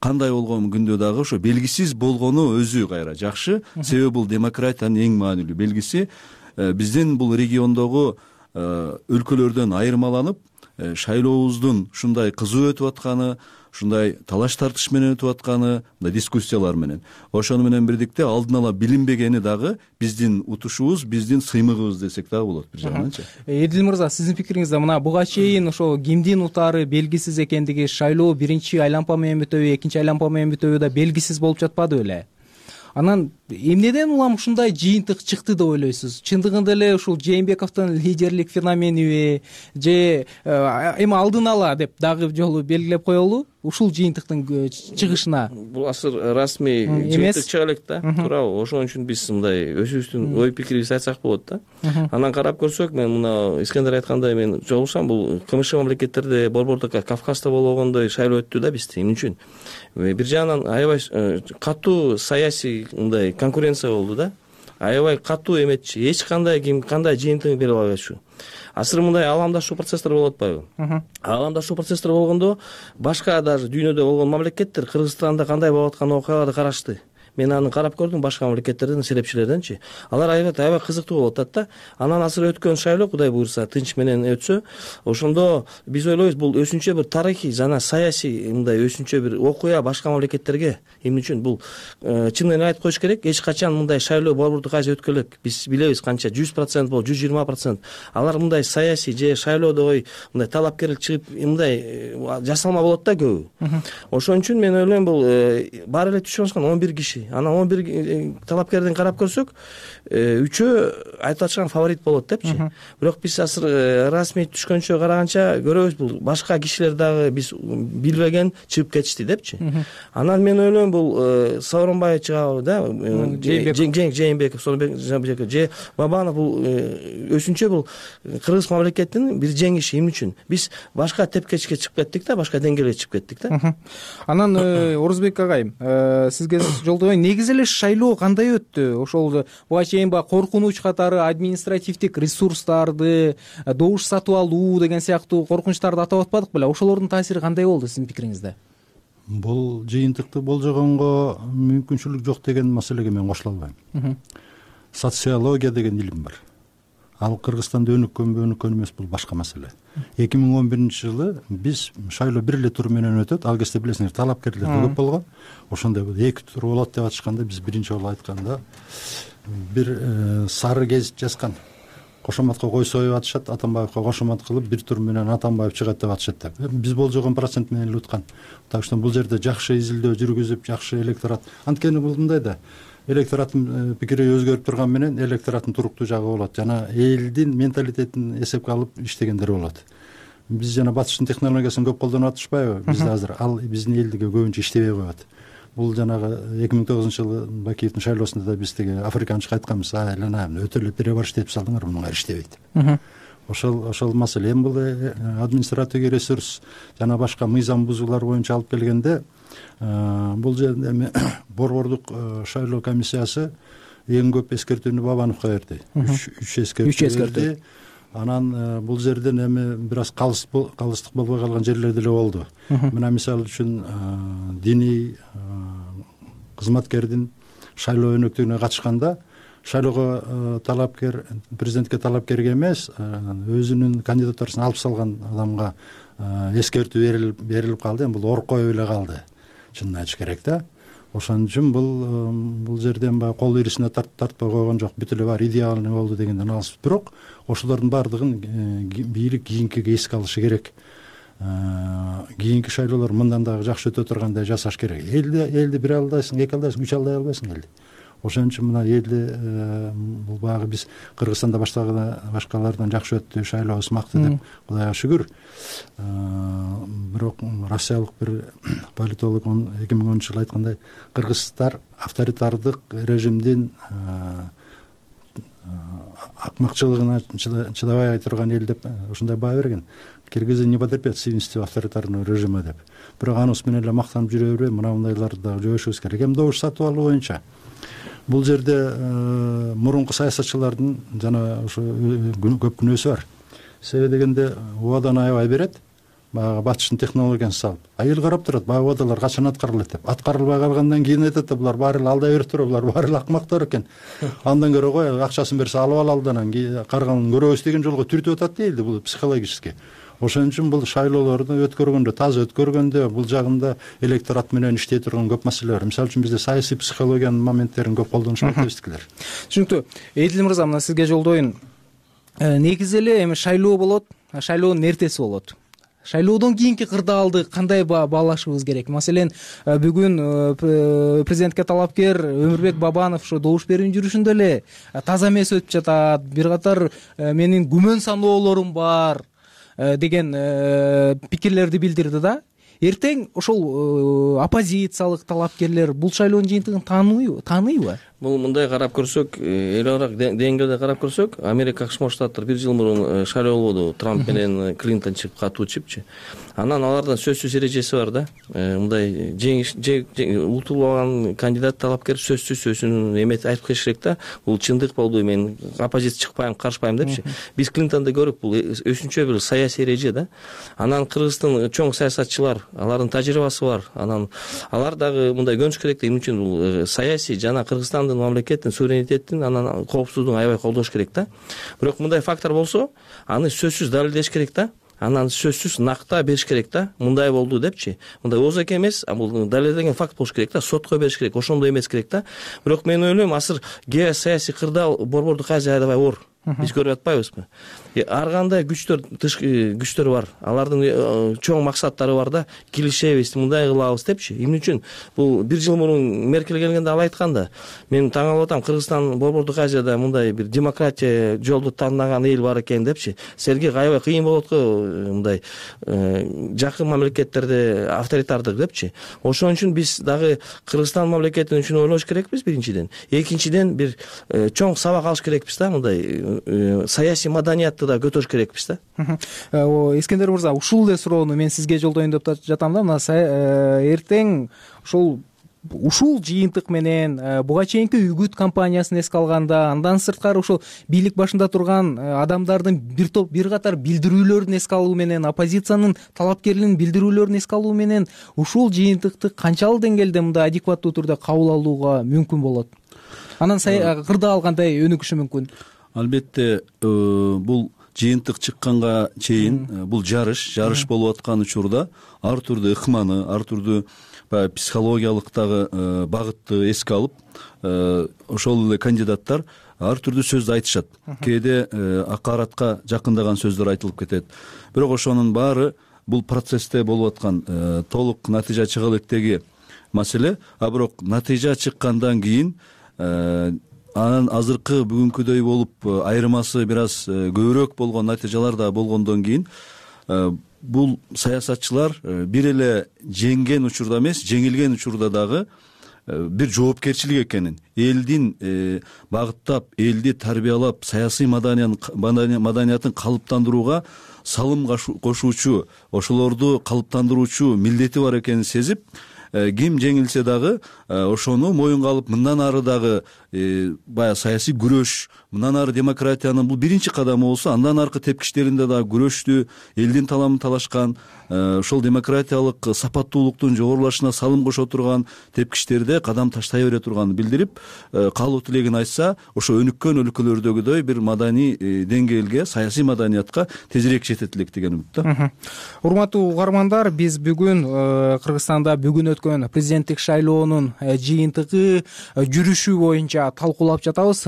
кандай болгон күндө дагы ошо белгисиз болгону өзү кайра жакшы. Себеби бул демократиянын эң маанилүү белгиси. Биздин бул региондогу өлкөлөрдөн айырмаланып, шайлообуздун ушундай кызуу өтүп атканы, ушундай талаш тартыш менен өтүп атканы, мындай дискуссиялар менен, ошону менен бирдикте алдын ала билинбегени дагы биздин утушубуз, биздин сыймыгыбыз десек дагы болот бир жагынан. Эдил мырза, сиздин пикириңизде мына буга чейин ошо кимдин утаары белгисиз экендиги, шайлоо биринчи айлампа менен бүтөбү, экинчи айлампа менен бүтөбү да белгисиз болуп жатпады беле? Анан эмнеден улам ушундай жыйынтык чыкты деп ойлойсуз? Чындыгында эле ушул Жээнбековдун лидерлик феномениби же эми алдын ала деп дагы жолу белгилеп коелу ушул жыйынтыктын чыгышына? Бул азыр расмий жыйынтык чыга элек да, туурабы? Ошон үчүн биз мындай өзүбүздүн ой пикирибизди айтсак болот да. Анан карап көрсөк, мен мына Искендер айткандай мен жолугушам, бул КМШ мамлекеттерде, Борбордо, Кавказда болгондой шайлоо өттү да бизде. Эмне үчүн? Бир жагынан аябай катуу саясий мындай конкуренция болду да. Аябай катуу эметчи, эч кандай ким кандай жыйынтыгын бере албайчу. Азыр мындай аламдашуу процесстер болуп атпайбы? Аламдашуу процесстер болгондо башка даже дүйнөдө болгон мамлекеттер Кыргызстанда кандай болуп аткан окуяларды карашты. Мен аны карап көрдүм башка мамлекеттердин серепчилерденчи. Алар аябай аябай кызыктуу болуп атат да. Анан азыр өткөн шайлоо Кудай буйрса тынч менен өтсө, ошондо биз ойлойбуз бул өзүнчө бир тарыхый жана саясий мындай өзүнчө бир окуя башка мамлекеттерге. Эмне үчүн бул чын эле айтып коюш керек, эч качан мындай шайлоо Борбордук Азия өткөн элек. Биз билебиз канча жүз процент болуп, жүз жыйырма процент. Алар мындай саясий же шайлоодо ой мындай талапкерлик чыгып мындай жасалма болот да көбү. Ошон үчүн мен ойлойм бул баары эле түшүп аткан он бир киши. Анан он бир талапкерден карап көрсөк, үчөө айтылачкан фаворит болот депчи. Бирок биз азыр расмий түшкөнчө караганча көрөбүз, бул башка кишилер дагы биз билбеген чыгып кетишти депчи. Анан мен ойлойм бул Сооронбай чыгабы да, Жээнбеков, Сооронбек же Бабанов, бул өзүнчө бул кыргыз мамлекетинин бир жеңиши. Эмне үчүн? Биз башка тепкечке чыгып кеттик да, башка деңгээлге чыгып кеттик да. Анан Орузбек агайым, сизге жолдойм, негизи эле шайлоо кандай өттү? Ошол буга чейин баягы коркунуч катары административдик ресурстарды, добуш сатып алуу деген сыяктуу коркунучтарды атап атпадык беле? Ошолордун таасири кандай болду сиздин пикириңизде? Бул жыйынтыкты болжогонго мүмкүнчүлүк жок деген маселеге мен кошула албайм. Социология деген илим бар. Ал Кыргызстанда өнүккөнбү, өнүккөн эмес, бул башка маселе. эки миң он биринчи жылы биз шайлоо бир эле тур менен өтөт. Ал кезде билесиңер, талапкерлер көп болгон. Ошондой эки тур болот деп атышканда биз биринчи жолу айтканда бир сары гезит жазган. Кошоматка койсоюп атышат, Атамбаевка кошомат кылып бир тур менен Атамбаев чыгат деп атышат деп. Биз болжогон процент менен эле уткан. Так что бул жерде жакшы изилдөө жүргүзүп, жакшы электорат. Анткени бул мындай да, электораттын пикири өзгөрүп турган менен электораттын туруктуу жагы болот. Жана элдин менталитетин эсепке алып иштегендер болот. Биз жана батыштын технологиясын көп колдонуп атышпайбы? Бизде азыр ал биздин элдиге көбүнчө иштебей коет. Бул жанагы эки миң тогузунчу жылы Бакиевдин шайлоосунда да биз теге африканча айтканбыз, айлана өтө эле перебор иштеп салдыңар, мунуңар иштебейт. Ошол ошол маселе. Эми бул административдик ресурс жана башка мыйзам бузуулар боюнча алып келгенде, бул жерде эми Борбордук шайлоо комиссиясы эң көп эскертүүнү Бабановго берди. үч эскертүү берди. Анан бул жерден эми бир аз калыстык болбой калган жерлер деле болду. Мына мисалы үчүн диний кызматкердин шайлоо өнөктүгүнө катышканда шайлоого талапкер, президентке талапкерге эмес, өзүнүн кандидатурасын алып салган адамга эскертүү берилип калды. Эми бул оркоюп эле калды, чынын айтыш керек да. Ошон үчүн бул бул жерден баягы кол ирисине тартпай койгон жок, бүт эле баары идеалный болду дегенден алыс. Бирок ошолордун баардыгын бийлик кийинкиге эске алышы керек. Кийинки шайлоолор мындан дагы жакшы өтө тургандай жасаш керек. Элди элди бир алдайсың, эки алдайсың, үч алдай албайсың элди. Ошон үчүн мына элди бул багы биз Кыргызстанда баштагы башкалардан жакшы өттү, шайлообуз макты деп Кудайга шүгүр. Бирок россиялык бир политолог эки миң онунчу жылы айткандай, кыргыздар авторитардык режимдин акмакчылыгына чыдабай турган эл деп ушундай баа берген. Киргизы не потерпят сильности авторитарного режима деп. Бирок анысы менен эле мактанып жүрө бербей, мына мындайларды дагы жойшубуз керек. Эми добуш сатып алуу боюнча бул жерде мурунку саясатчылардын жана ошо көп күнөөсү бар. Себеби дегенде убадан аябай берет, баягы батыштын технологиясын салып. А эл карап турат, баягы убадалар качан аткарылат деп. Аткарылбай калгандан кийин айтат да, булар баары эле алдай берип туруп, булар баары эле акмактар экен. Андан көрө кой, акчасын берсе алып ал алданан карганын көрөбүз деген жолго түртүп атат дейли, бул психологически. ошон үчүн бул шайлоолорду өткөргөндө таза өткөргөндө бул жагында электорат менен иштей турган көп маселе бар. Мисалы үчүн бизде саясий психологиянын моменттерин көп колдонушпайт дебизтикилер. Түшүнүктүү. Эдил мырза, мына сизге жолдоюн. Негизи эле эми шайлоо болот, шайлоонун эртеси болот. Шайлоодон кийинки кырдаалды кандай баалашыбыз керек? Маселен, бүгүн президентке талапкер Өмүрбек Бабанов ошо добуш берүү жүрүшүндө эле таза эмес өтүп жатат, бир катар менин күмөн саноолорум бар деген пикирлерди билдирди да. Эртең ошол оппозициялык талапкерлер бул шайлоонун жыйынтыгын тааныйбы? Тааныйбы? Бул мындай карап көрсөк, эл аралык деңгээлде карап көрсөк, Америка Кошмо Штаттар бир жыл мурун шайлоо болду, Трамп менен Клинтон чыгып катуу чыпчы. Анан алардын сөзсүз эрежеси бар да. Мындай жеңиш утулуп алган кандидат талапкер сөзсүз өзүнүн эметип айтып келиш керек да. Бул чындык болду, мен оппозиция чыкпайм, каршыбайм депчи. Биз Клинтонду көрүп, бул өзүнчө бир саясий эреже да. Анан Кыргызстан чоң саясатчылар, алардын тажрыйбасы бар. Анан алар дагы мындай көнүш керек да. Эмне үчүн бул саясий жана Кыргызстан мамлекеттин суверенитетин анан коопсуздугун аябай колдош керек да. Бирок мындай фактор болсо, аны сөзсүз далилдеш керек да. Анан сөзсүз накта бериш керек да. Мындай болду депчи. Мындай оозак эмес, бул далилденген факт болуш керек да. Сотко бериш керек, ошондой эмес керек да. Бирок мен ойлойм, азыр геосаясий кырдаал борбордук Азия аябай оор. Биз көрүп атпайбызбы? Ар кандай күчтөр, тышкы күчтөр бар. Алардын чоң максаттары бар да. Килишебиз, мындай кылабыз депчи. Эмне үчүн? Бул бир жыл мурун Меркель келгенде ал айткан да. Мен таң калып атам, Кыргызстан борбордук Азияда мындай бир демократия жолду тандаган эл бар экен депчи. Силерге аябай кыйын болот го мындай жакын мамлекеттерде авторитардык депчи. Ошон үчүн биз дагы Кыргызстан мамлекетин үчүн ойлош керекпиз биринчиден. Экинчиден бир чоң сабак алыш керекпиз да, мындай саясий маданиятты да көтөрүш керекпиз да. Искендер мырза, ушул эле суроону мен сизге жолдоюн деп жатам да. Мына эртең ушул ушул жыйынтык менен буга чейинки үгүт кампаниясын эске алганда, андан сырткары ушул бийлик башында турган адамдардын бир топ бир катар билдирүүлөрүн эске алуу менен, оппозициянын талапкерлигин билдирүүлөрүн эске алуу менен ушул жыйынтыкты канчалык деңгээлде мындай адекваттуу түрдө кабыл алууга мүмкүн болот? Анан кырдаал кандай өнүгүшү мүмкүн? Албетте, бул жыйынтык чыкканга чейин бул жарыш, жарыш болуп аткан учурда ар түрдүү ыкманы, ар түрдүү баягы психологиялык дагы багытты эске алып, ошол эле кандидаттар ар түрдүү сөздү айтышат. Кээде акаратка жакындаган сөздөр айтылып кетет. Бирок ошонун баары бул процессте болуп аткан толук натыйжа чыга электеги маселе. А бирок натыйжа чыккандан кийин анан азыркы бүгүнкүдөй болуп айырмасы бир аз көбүрөөк болгон натыйжалар да болгондон кийин бул саясатчылар бир эле жеңген учурда эмес, жеңилген учурда дагы бир жоопкерчилик экенин, элдин багыттап, элди тарбиялап, саясий маданиятын калыптандырууга салым кошуучу, ошолорду калыптандыруучу милдети бар экенин сезип, ким жеңилсе дагы ошону моюнга алып, мындан ары дагы баягы саясий күрөш, мындан ары демократиянын бул биринчи кадамы болсо, андан аркы тепкичтеринде дагы күрөштү, элдин таламын талашкан, ошол демократиялык сапаттуулуктун жогорулашына салым кошо турган тепкичтерде кадам таштай бере турганын билдирип, каалоо тилегин айтса, ошо өнүккөн өлкөлөрдөгүдөй бир маданий деңгээлге, саясий маданиятка тезирээк жетет элек деген үмүт да. Урматтуу угармандар, биз бүгүн Кыргызстанда бүгүн өткөн президенттик шайлоонун жыйынтыгы, жүрүшү боюнча талкуулап жатабыз.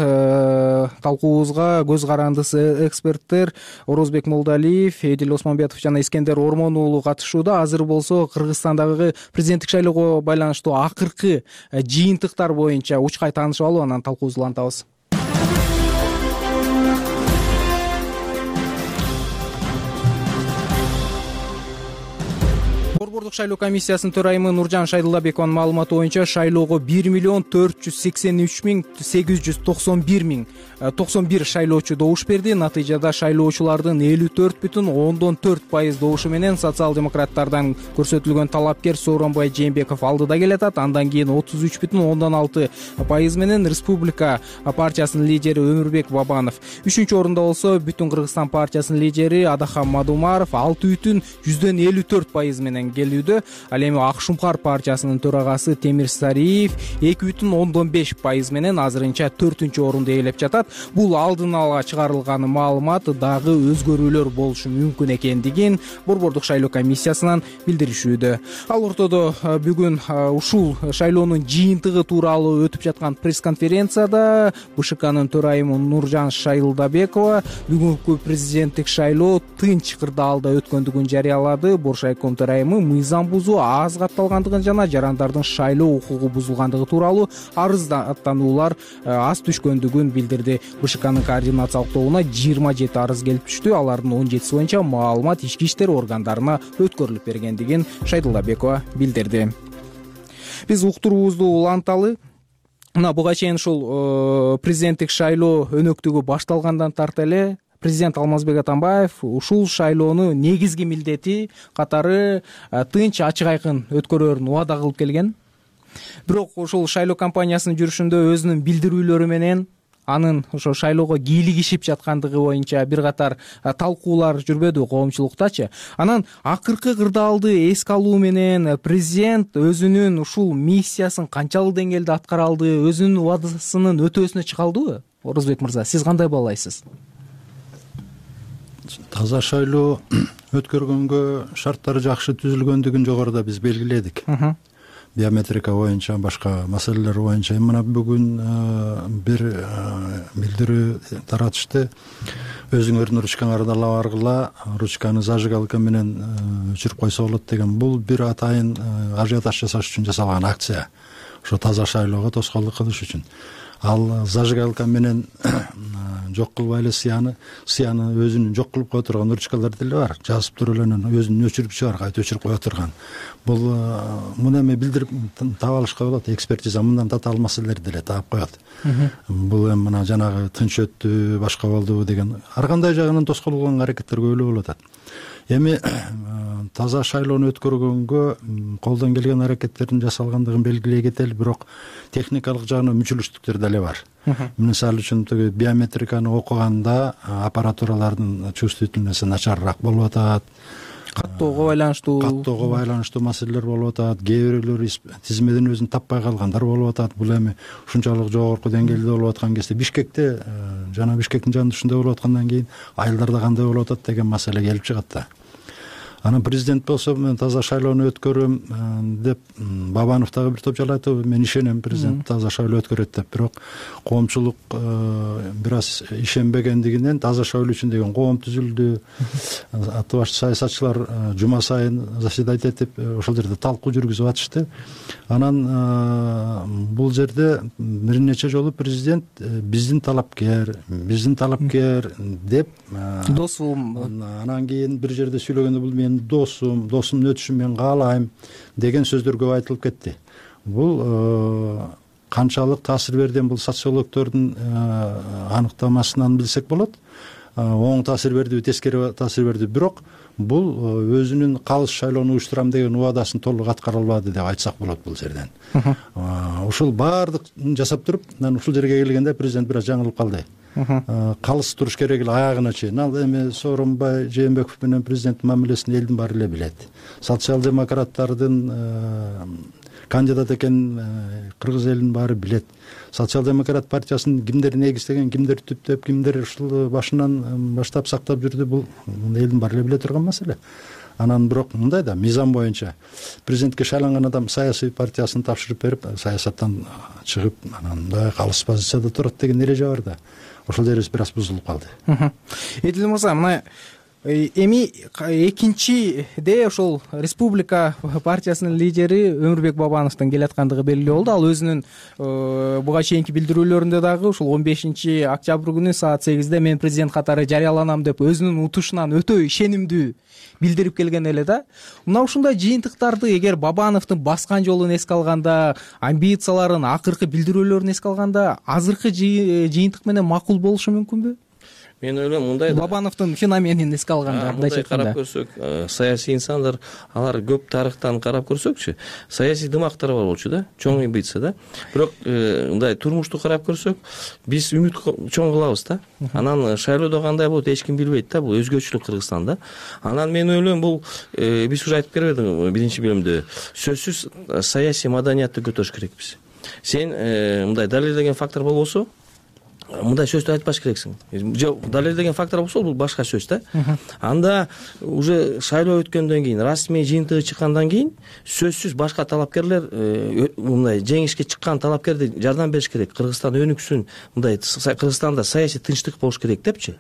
Талкуубузга көз карандысы эксперттер Орозбек Молдалиев, Эдил Осмонбетов жана Искендер Ормон уулу катышууда. Азыр болсо Кыргызстандагы президенттик шайлоого байланыштуу акыркы жыйынтыктар боюнча учкай таанышып алып, анан талкуубузду улантабыз. Борбордук шайлоо комиссиясынын төрайымы Нуржан Шайдуллабекованын маалыматы боюнча шайлоого бир миллион төрт жүз сексен үч миң сегиз жүз токсон бир миң токсон бир шайлоочу добуш берди. Натыйжада шайлоочулардын элүү төрт бүтүн ондон төрт пайыз добушу менен социал-демократтардан көрсөтүлгөн талапкер Сооронбай Жээнбеков алдыда келатат. Андан кийин отуз үч бүтүн ондон алты пайыз менен Республика партиясынын лидери Өмүрбек Бабанов. Үчүнчү орунда болсо Бүтүн Кыргызстан партиясынын лидери Адахам Мадумаров алты бүтүн жүздөн элүү төрт пайыз менен келүү билдирүүдө. Ал эми Ак Шумкар партиясынын төрагасы Темир Сариев эки бүтүн ондон беш пайыз менен азырынча төртүнчү орунду ээлеп жатат. Бул алдын ала чыгарылган маалымат дагы өзгөрүүлөр болушу мүмкүн экендигин Борбордук шайлоо комиссиясынан билдиришүүдө. Ал ортодо бүгүн ушул шайлоонун жыйынтыгы тууралуу өтүп жаткан пресс-конференцияда БШКнын төрайымы Нуржан Шайылдабекова бүгүнкү президенттик шайлоо тынч кырдаалда өткөндүгүн жарыялады. Боршайком төрайымы мыйзам бузуу аз катталгандыгын жана жарандардын шайлоо укугу бузулгандыгы тууралуу арыздаттануулар аз түшкөндүгүн билдирди. БШКнын координациялык тобуна жыйырма жети арыз келип түштү. Алардын он жетиси боюнча маалымат ички иштер органдарына өткөрүлүп бергендигин Шайдылдабекова билдирди. Биз уктуруубузду уланталы. Мына буга чейин ушул президенттик шайлоо өнөктүгү башталгандан тарта эле президент Алмазбек Атамбаев ушул шайлоону негизги милдети катары тынч, ачык айкын өткөрөрүн убада кылып келген. Бирок ушул шайлоо кампаниясынын жүрүшүндө өзүнүн билдирүүлөрү менен анын ошо шайлоого кийлигишип жаткандыгы боюнча бир катар талкуулар жүрбөдү коомчулуктачы. Анан акыркы кырдаалды эске алуу менен президент өзүнүн ушул миссиясын канчалык деңгээлде аткара алды, өзүнүн убадасынын өтөөсүнө чыга алдыбы? Орозбек мырза, сиз кандай баалайсыз? Таза шайлоо өткөргөнгө шарттары жакшы түзүлгөндүгүн жогоруда биз белгиледик. Биометрика боюнча, башка маселелер боюнча. Мына бүгүн бир билдирүү таратышты. Өзүңөрдүн ручкаңарды ала баргыла, ручканы зажигалка менен өчүрүп койсо болот деген. Бул бир атайын ажиотаж жасаш үчүн жасалган акция. Ошо таза шайлоого тоскоолдук кылыш үчүн. Ал зажигалка менен жок кылбай эле сыяны, сыяны өзүнүн жок кылып кое турган ручкалар деле бар. Жазып туруп эле өзүнүн өчүрүп чыгар, кайта өчүрүп кое турган. Бул муну эми билдирип таап алышка болот. Экспертиза мындан татаал маселелерди деле таап коет. Бул эми мына жанагы тынч өттү, башка болду деген ар кандай жагынан тоскоолгон аракеттер көбүлө болуп атат. Эми таза шайлоону өткөргөнгө колдон келген аракеттердин жасалгандыгын белгилей кетели, бирок техникалык жагынан мүчүлүштүктөр деле бар. Мисалы үчүн тиги биометриканы окуганда аппаратуралардын чувствительности начарыраак болуп атат. Каттоого байланыштуу каттоого байланыштуу маселелер болуп атат. Кээ бирлери тизмеден өзүн таппай калгандар болуп атат. Бул эми ушунчалык жогорку деңгээлде болуп аткан кезде Бишкекте жана Бишкектин жанында ушундай болуп аткандан кийин айылдарда кандай болуп атат деген маселе келип чыгат да. Анан президент болсо мен таза шайлоону өткөрөм деп Бабанов дагы бир топ жала айтты. Мен ишенем, президент таза шайлоо өткөрөт деп. Бирок коомчулук бир аз ишенбегендигинен таза шайлоо үчүн деген коом түзүлдү. Аты башчы саясатчылар жума сайын заседать этип ошол жерде талкуу жүргүзүп атышты. Анан бул жерде бир нече жолу президент биздин талапкер, биздин талапкер деп досум, анан кийин бир жерде сүйлөгөндө бул мен досум, досумдун өтүшүн мен каалайм деген сөздөр көп айтылып кетти. Бул канчалык таасир берден бул социологдордун аныктамасынан билсек болот. Оң таасир бердиби, тескери таасир берди. Бирок бул өзүнүн калыс шайлоону уюштурам деген убадасын толук аткара албады деп айтсак болот бул жерден. Ушул баардык жасап туруп, анан ушул жерге келгенде президент бир аз жаңылып калды. Калыс туруш керек эле аягына чейин. Ал эми Сооронбай Жээнбеков менен президенттин мамилесин элдин баары эле билет. Социал-демократтардын кандидат экенин кыргыз элинин баары билет. Социал-демократ партиясын кимдер негиздеген, кимдер түптөп, кимдер ушул башынан баштап сактап жүрдү, бул элдин баары эле биле турган маселе. Анан бирок мындай да, мыйзам боюнча президентке шайланган адам саясий партиясын тапшырып берип, саясаттан чыгып, анан мындай калыс позицияда турат деген эреже бар да. Ошол жерибиз бир аз бузулуп калды. Эдил мырза, мына эми экинчиде ошол Республика партиясынын лидери Өмүрбек Бабановдун келаткандыгы белгилүү болду. Ал өзүнүн буга чейинки билдирүүлөрүндө дагы ушул он бешинчи октябрь күнү саат сегизде мен президент катары жарыяланам деп өзүнүн утушунан өтө ишенимдүү билдирип келген эле да. Мына ушундай жыйынтыктарды эгер Бабановдун баскан жолун эске алганда, амбицияларын, акыркы билдирүүлөрүн эске алганда, азыркы жыйынтык менен макул болушу мүмкүнбү? мен ойлойм мындай Бабановдун феноменин эске алганда мындай карап көрсөк, саясий инсандар алар көп тарыхтан карап көрсөкчү, саясий дымактар бар болчу да, чоң амбиция да. Бирок мындай турмушту карап көрсөк, биз үмүт чоң кылабыз да. Анан шайлоодо кандай болот эч ким билбейт да, бул өзгөчөлүк Кыргызстанда. Анан мен ойлойм бул биз уже айтып бербедиңби биринчи бөлүмдө, сөзсүз саясий маданиятты көтөрүш керекпиз. Сен мындай далилдеген фактор болбосо, мындай сөздү айтпаш керексиң. Жок, далилдеген фактор болсо бул башка сөз да. Анда уже шайлоо өткөндөн кийин, расмий жыйынтыгы чыккандан кийин сөзсүз башка талапкерлер мындай жеңишке чыккан талапкерди жардам бериш керек. Кыргызстан өнүксүн, мындай Кыргызстанда саясий тынчтык болуш керек депчи.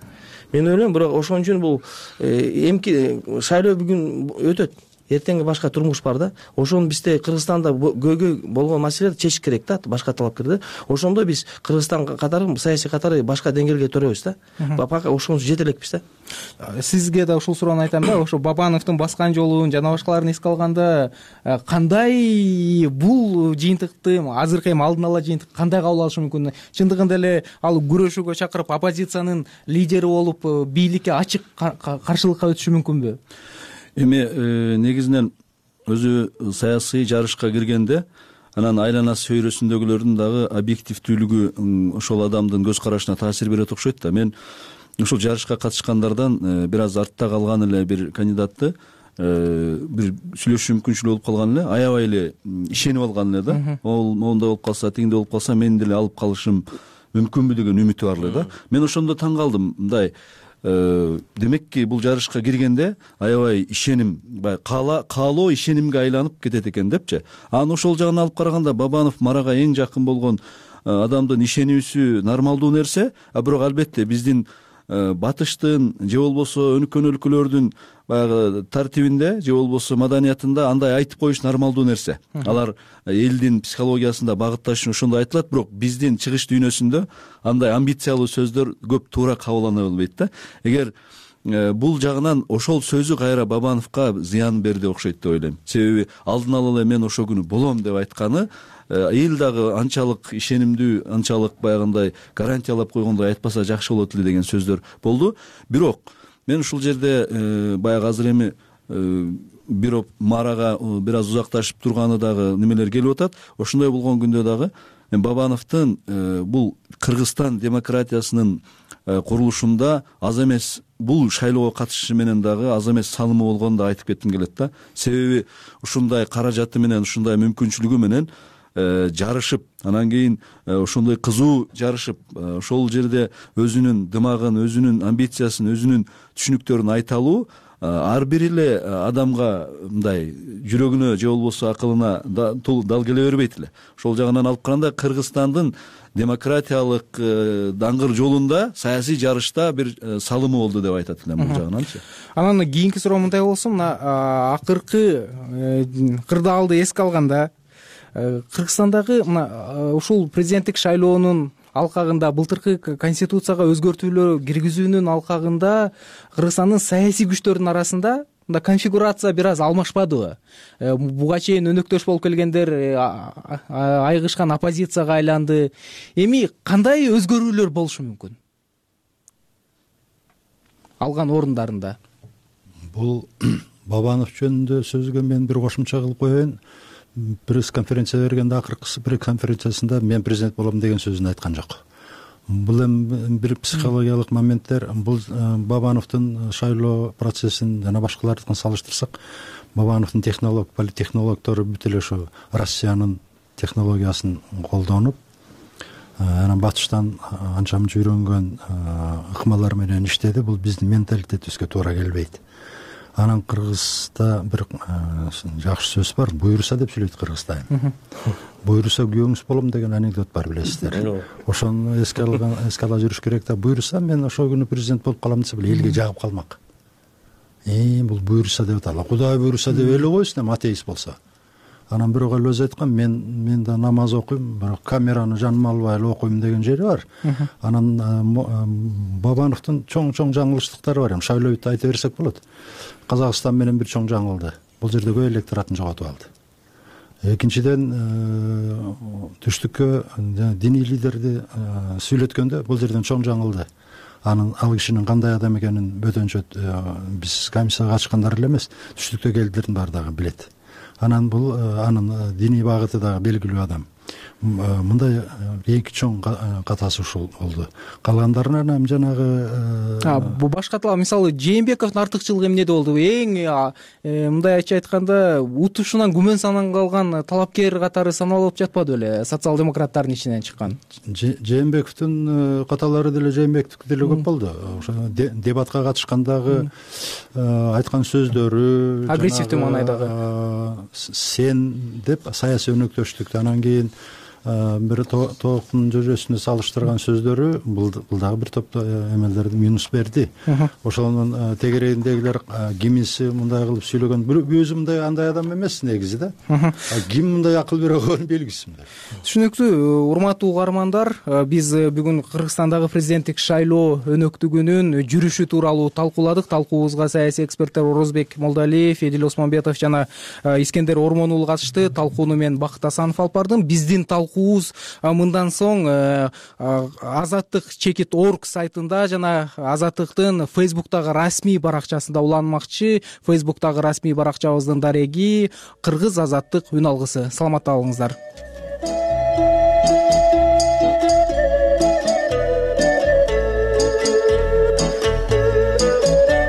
Мен ойлойм, бирок ошон үчүн бул эмки шайлоо бүгүн өтөт. Эртеңги башка турмуш бар да. Ошону бизде Кыргызстанда көйгөй болгон маселелерди чечиш керек да, башка талапкерде. Ошондо биз Кыргызстан катары, саясий катары башка деңгээлге төрөбүз да. Пока ошону жете элекпиз да. Сизге да ушул суроону айтам да, ошо Бабановдун баскан жолун жана башкаларын эске алганда, кандай бул жыйынтыкты, азыркы эми алдын ала жыйынтык кандай кабыл алышы мүмкүн? Чындыгында эле ал күрөшүүгө чакырып, оппозициянын лидери болуп, бийликке ачык каршылыкка өтүшү мүмкүнбү? Эми негизинен өзү саясий жарышка киргенде, анан айланасы чөйрөсүндөгүлөрдүн дагы объективдүүлүгү ошол адамдын көз карашына таасир берет окшойт да. Мен ушул жарышка катышкандардан бир аз артта калган эле бир кандидатты бир сүйлөшүү мүмкүнчүлүгү болуп калган эле, аябай эле ишенип алган эле да. Ол моундай болуп калса, тигиндей болуп калса, мен деле алып калышым мүмкүнбү деген үмүтү бар эле да. Мен ошондо таң калдым, мындай демекки бул жарышка киргенде аябай ишеним, баягы каалоо ишенимге айланып кетет экен депчи. Анан ошол жагын алып караганда Бабанов Марага эң жакын болгон адамдын ишенүүсү нормалдуу нерсе, а бирок албетте биздин батыштын же болбосо өнүккөн өлкөлөрдүн баягы тартибинде же болбосо маданиятында андай айтып коюш нормалдуу нерсе. Алар элдин психологиясында багытташ үчүн ошондой айтылат, бирок биздин чыгыш дүйнөсүндө андай амбициялуу сөздөр көп туура кабылдана бербейт да. Эгер бул жагынан ошол сөзү кайра Бабановго зыян берди окшойт деп ойлойм. Себеби алдын ала эле мен ошол күнү болом деп айтканы эл дагы анчалык ишенимдүү, анчалык баягындай гарантиялап койгондой айтпаса жакшы болот эле деген сөздөр болду. Бирок мен ушул жерде баягы азыр эми бирок Марага бир аз узакташып турганы дагы немелер келип атат. Ошондой болгон күндө дагы Бабановдун бул Кыргызстан демократиясынын курулушунда аз эмес, бул шайлоого катышышы менен дагы аз эмес салымы болгонун да айтып кетким келет да. Себеби ушундай каражаты менен, ушундай мүмкүнчүлүгү менен жарышып, анан кийин ошондой кызуу жарышып, ошол жерде өзүнүн дымагын, өзүнүн амбициясын, өзүнүн түшүнүктөрүн айта алуу ар бир эле адамга мындай жүрөгүнө же болбосо акылына дал келе бербейт эле. Ошол жагынан алып караганда Кыргызстандын демократиялык даңгыр жолунда, саясий жарышта бир салымы болду деп айтат элем бул жагынанчы. Анан кийинки суроо мындай болсун, мына акыркы кырдаалды эске алганда, Кыргызстандагы мына ушул президенттик шайлоонун алкагында, былтыркы конституцияга өзгөртүүлөр киргизүүнүн алкагында Кыргызстандын саясий күчтөрүнүн арасында мында конфигурация бир аз алмашпадыбы? Буга чейин өнөктөш болуп келгендер айгышкан оппозицияга айланды. Эми кандай өзгөрүүлөр болушу мүмкүн алган орундарында? Бул Бабанов жөнүндө сөзгө мен бир кошумча кылып коеюн. Пресс-конференция бергенде, акыркы пресс-конференциясында мен президент болом деген сөзүн айткан жок. Бул эми бир психологиялык моменттер. Бул Бабановдун шайлоо процессин жана башкалардыкын салыштырсак, Бабановдун технолог, политтехнологдору бүт эле ошо Россиянын технологиясын колдонуп, анан батыштан анча мынча үйрөнгөн ыкмалар менен иштеди. Бул биздин менталитетибизге туура келбейт. Анан Кыргызда бир жакшы сөз бар, буйруса деп сүйлөйт Кыргызда. Буйруса күйөөңүз болом деген анекдот бар, билесиздер. Ошону эске алган, эске ала жүрүш керек да. Буйруса мен ошол күнү президент болуп калам десе, элге жагып калмак. Э, бул буйруса деп аталат. Кудай буйруса деп эле койсун, эми атеист болсо. Анан бирок эле өзү айткан, мен мен да намаз окуйм, бирок камераны жаныма албай эле окуйм деген жери бар. Анан Бабановдун чоң-чоң жаңылыштыктары бар. Эми шайлообүт айта берсек болот. Казакстан менен бир чоң жаңылды. Бул жерде көп электоратын жоготуп алды. Экинчиден, түштүккө диний лидерди сүйлөткөндө бул жерден чоң жаңылды. анын ал кишинин кандай адам экенин бөтөнчө биз комиссияга катышкандар эле эмес, түштүктө келгилердин баары дагы билет. Анан бул анын диний багыты дагы белгилүү адам. Мындай эң чоң катасы ушул болду. Калгандарына эми жанагы бул башкатла мисалы Жээнбековдун артыкчылыгы эмнеде болду? Эң мындайча айтканда утушунан күмөн саналган калган талапкер катары саналып жатпады беле социал-демократтардын ичинен чыккан? Жээнбековдун каталары деле Жээнбековдуку деле көп болду. Ошо дебатка катышкандагы айткан сөздөрү агрессивдүү маанайдагы сен деп саясий өнөктөштүктү анан кийин бир тооктун жожосуна салыштырган сөздөрү бул дагы бир топ эмелерди минус берди. Ошонун тегерегиндегилер кимиси мындай кылып сүйлөгөн, өзү мындай андай адам эмес негизи да. Ким мындай акыл бере койгон белгисиз. Түшүнүктүү. Урматтуу угармандар, биз бүгүн Кыргызстандагы президенттик шайлоо өнөктүгүнүн жүрүшү тууралуу талкууладык. Талкуубузга саясий эксперттер Орозбек Молдалиев, Эдил Осмонбетов жана Искендер Ормон уулу катышты. Талкууну мен Бакыт Асанов алып бардым. Биздин талкуубуз мындан соң Азаттык чекит орг сайтында жана Азаттыктын Фейсбуктагы расмий баракчасында уланмакчы. Фейсбуктагы расмий баракчабыздын дареги Кыргыз Азаттык үн алгысы. Саламатта болуңуздар.